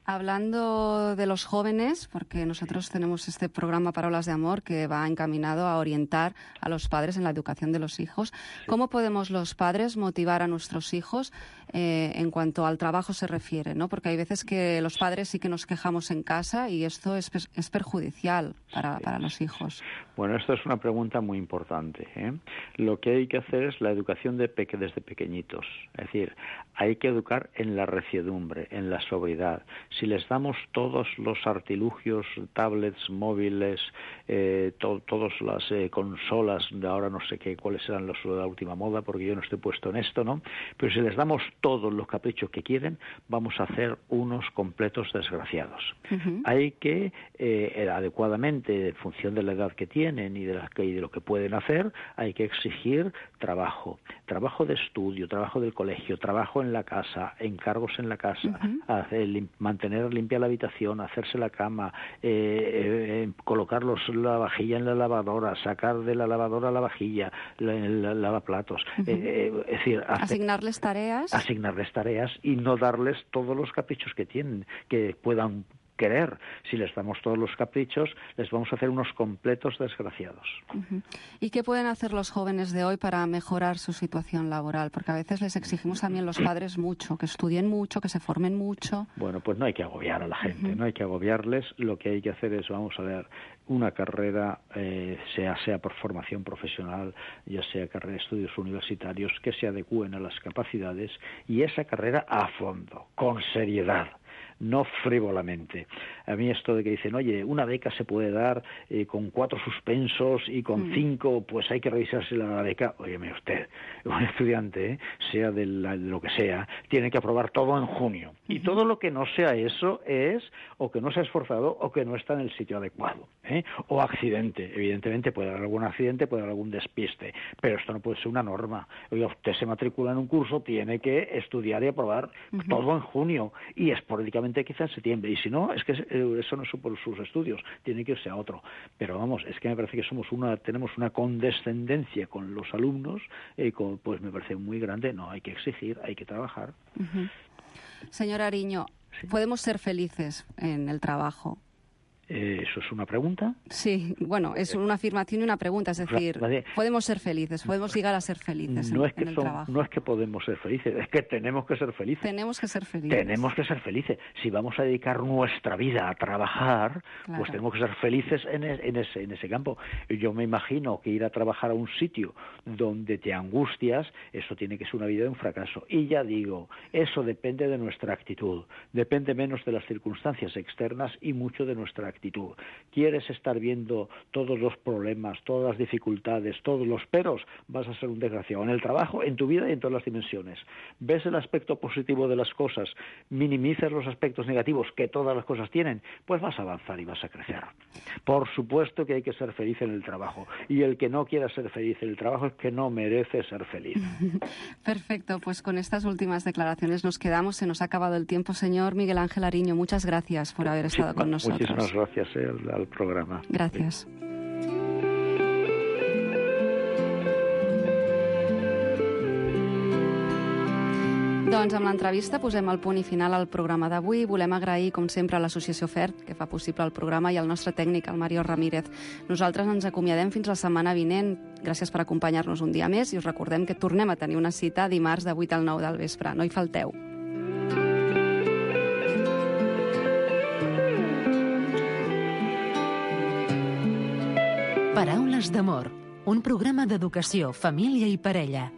Hablando de los jóvenes, porque nosotros tenemos este programa Parolas de Amor que va encaminado a orientar a los padres en la educación de los hijos. Sí. ¿Cómo podemos los padres motivar a nuestros hijos eh, en cuanto al trabajo se refiere, ¿no? Porque hay veces que los padres sí que nos quejamos en casa y esto es, es perjudicial para, para los hijos. Bueno, esto es una pregunta muy importante, ¿eh? Lo que hay que hacer es la educación de peque, desde pequeñitos. Es decir, hay que educar en la reciedumbre, en la sobriedad. Si les damos todos los artilugios, tablets, móviles, eh, to, todas las eh, consolas, de ahora no sé qué, cuáles serán los de la última moda, porque yo no estoy puesto en esto, ¿no? Pero si les damos todos los caprichos que quieren, vamos a hacer unos completos desgraciados. Uh-huh. Hay que, eh, adecuadamente, en función de la edad que tienen y de, la, y de lo que pueden hacer, hay que exigir trabajo, trabajo de estudio, trabajo del colegio, trabajo en la casa, encargos en la casa, uh-huh. hacer, lim, mantener limpia la habitación, hacerse la cama, eh, eh, colocar los, la vajilla en la lavadora, sacar de la lavadora la vajilla, la, la, lavaplatos, uh-huh. eh, es decir, hacer, asignarles tareas, asignarles tareas y no darles todos los caprichos que tienen, que puedan querer. Si les damos todos los caprichos, les vamos a hacer unos completos desgraciados. Uh-huh. ¿Y qué pueden hacer los jóvenes de hoy para mejorar su situación laboral? Porque a veces les exigimos también los padres mucho, que estudien mucho, que se formen mucho. Bueno, pues no hay que agobiar a la gente, uh-huh. no hay que agobiarles. Lo que hay que hacer es, vamos a ver, una carrera, eh, sea, sea por formación profesional, ya sea carrera de estudios universitarios, que se adecúen a las capacidades, y esa carrera a fondo, con seriedad, no frívolamente. A mí esto de que dicen, oye, una beca se puede dar eh, con cuatro suspensos y con mm. cinco, pues hay que revisarse la beca. Óyeme usted, un estudiante, ¿eh? sea de, la, de lo que sea, tiene que aprobar todo en junio. Uh-huh. Y todo lo que no sea eso es o que no se ha esforzado o que no está en el sitio adecuado, ¿eh? O accidente. Evidentemente puede haber algún accidente, puede haber algún despiste, pero esto no puede ser una norma. Oiga, usted se matricula en un curso, tiene que estudiar y aprobar uh-huh. todo en junio y esporádicamente quizás en septiembre, y si no, es que eso no es por sus estudios, tiene que irse a otro. Pero vamos, es que me parece que somos una, tenemos una condescendencia con los alumnos, eh, con, pues me parece muy grande. No, hay que exigir, hay que trabajar. Uh-huh. Señor Ariño, ¿sí? ¿Podemos ser felices en el trabajo? Eh, ¿Eso es una pregunta? Sí, bueno, es una afirmación y una pregunta, es decir, podemos ser felices, podemos llegar a ser felices en, no es que en el son, trabajo. No es que podemos ser felices, es que tenemos que ser felices. Tenemos que ser felices. Tenemos que ser felices. Si vamos a dedicar nuestra vida a trabajar, claro. pues tenemos que ser felices en, en, ese, en ese campo. Yo me imagino que ir a trabajar a un sitio donde te angustias, eso tiene que ser una vida de un fracaso. Y ya digo, eso depende de nuestra actitud, depende menos de las circunstancias externas y mucho de nuestra actitud. ¿Quieres estar viendo todos los problemas, todas las dificultades, todos los peros? Vas a ser un desgraciado en el trabajo, en tu vida y en todas las dimensiones. ¿Ves el aspecto positivo de las cosas? ¿Minimizas los aspectos negativos que todas las cosas tienen? Pues vas a avanzar y vas a crecer. Por supuesto que hay que ser feliz en el trabajo. Y el que no quiera ser feliz en el trabajo es que no merece ser feliz. Perfecto, pues con estas últimas declaraciones nos quedamos. Se nos ha acabado el tiempo, señor Miguel Ángel Ariño. Muchas gracias por haber estado sí, con nosotros. Muchísimas gracias. Gracias eh, al, al programa. Gracias. Doncs amb l'entrevista posem el punt i final al programa d'avui. Volem agrair, com sempre, a l'Associació FERT, que fa possible el programa, i al nostre tècnic, el Mario Ramírez. Nosaltres ens acomiadem fins la setmana vinent. Gràcies per acompanyar-nos un dia més i us recordem que tornem a tenir una cita dimarts de vuit al nou del vespre. No hi falteu. Paraules d'amor, un programa d'educació, família i parella.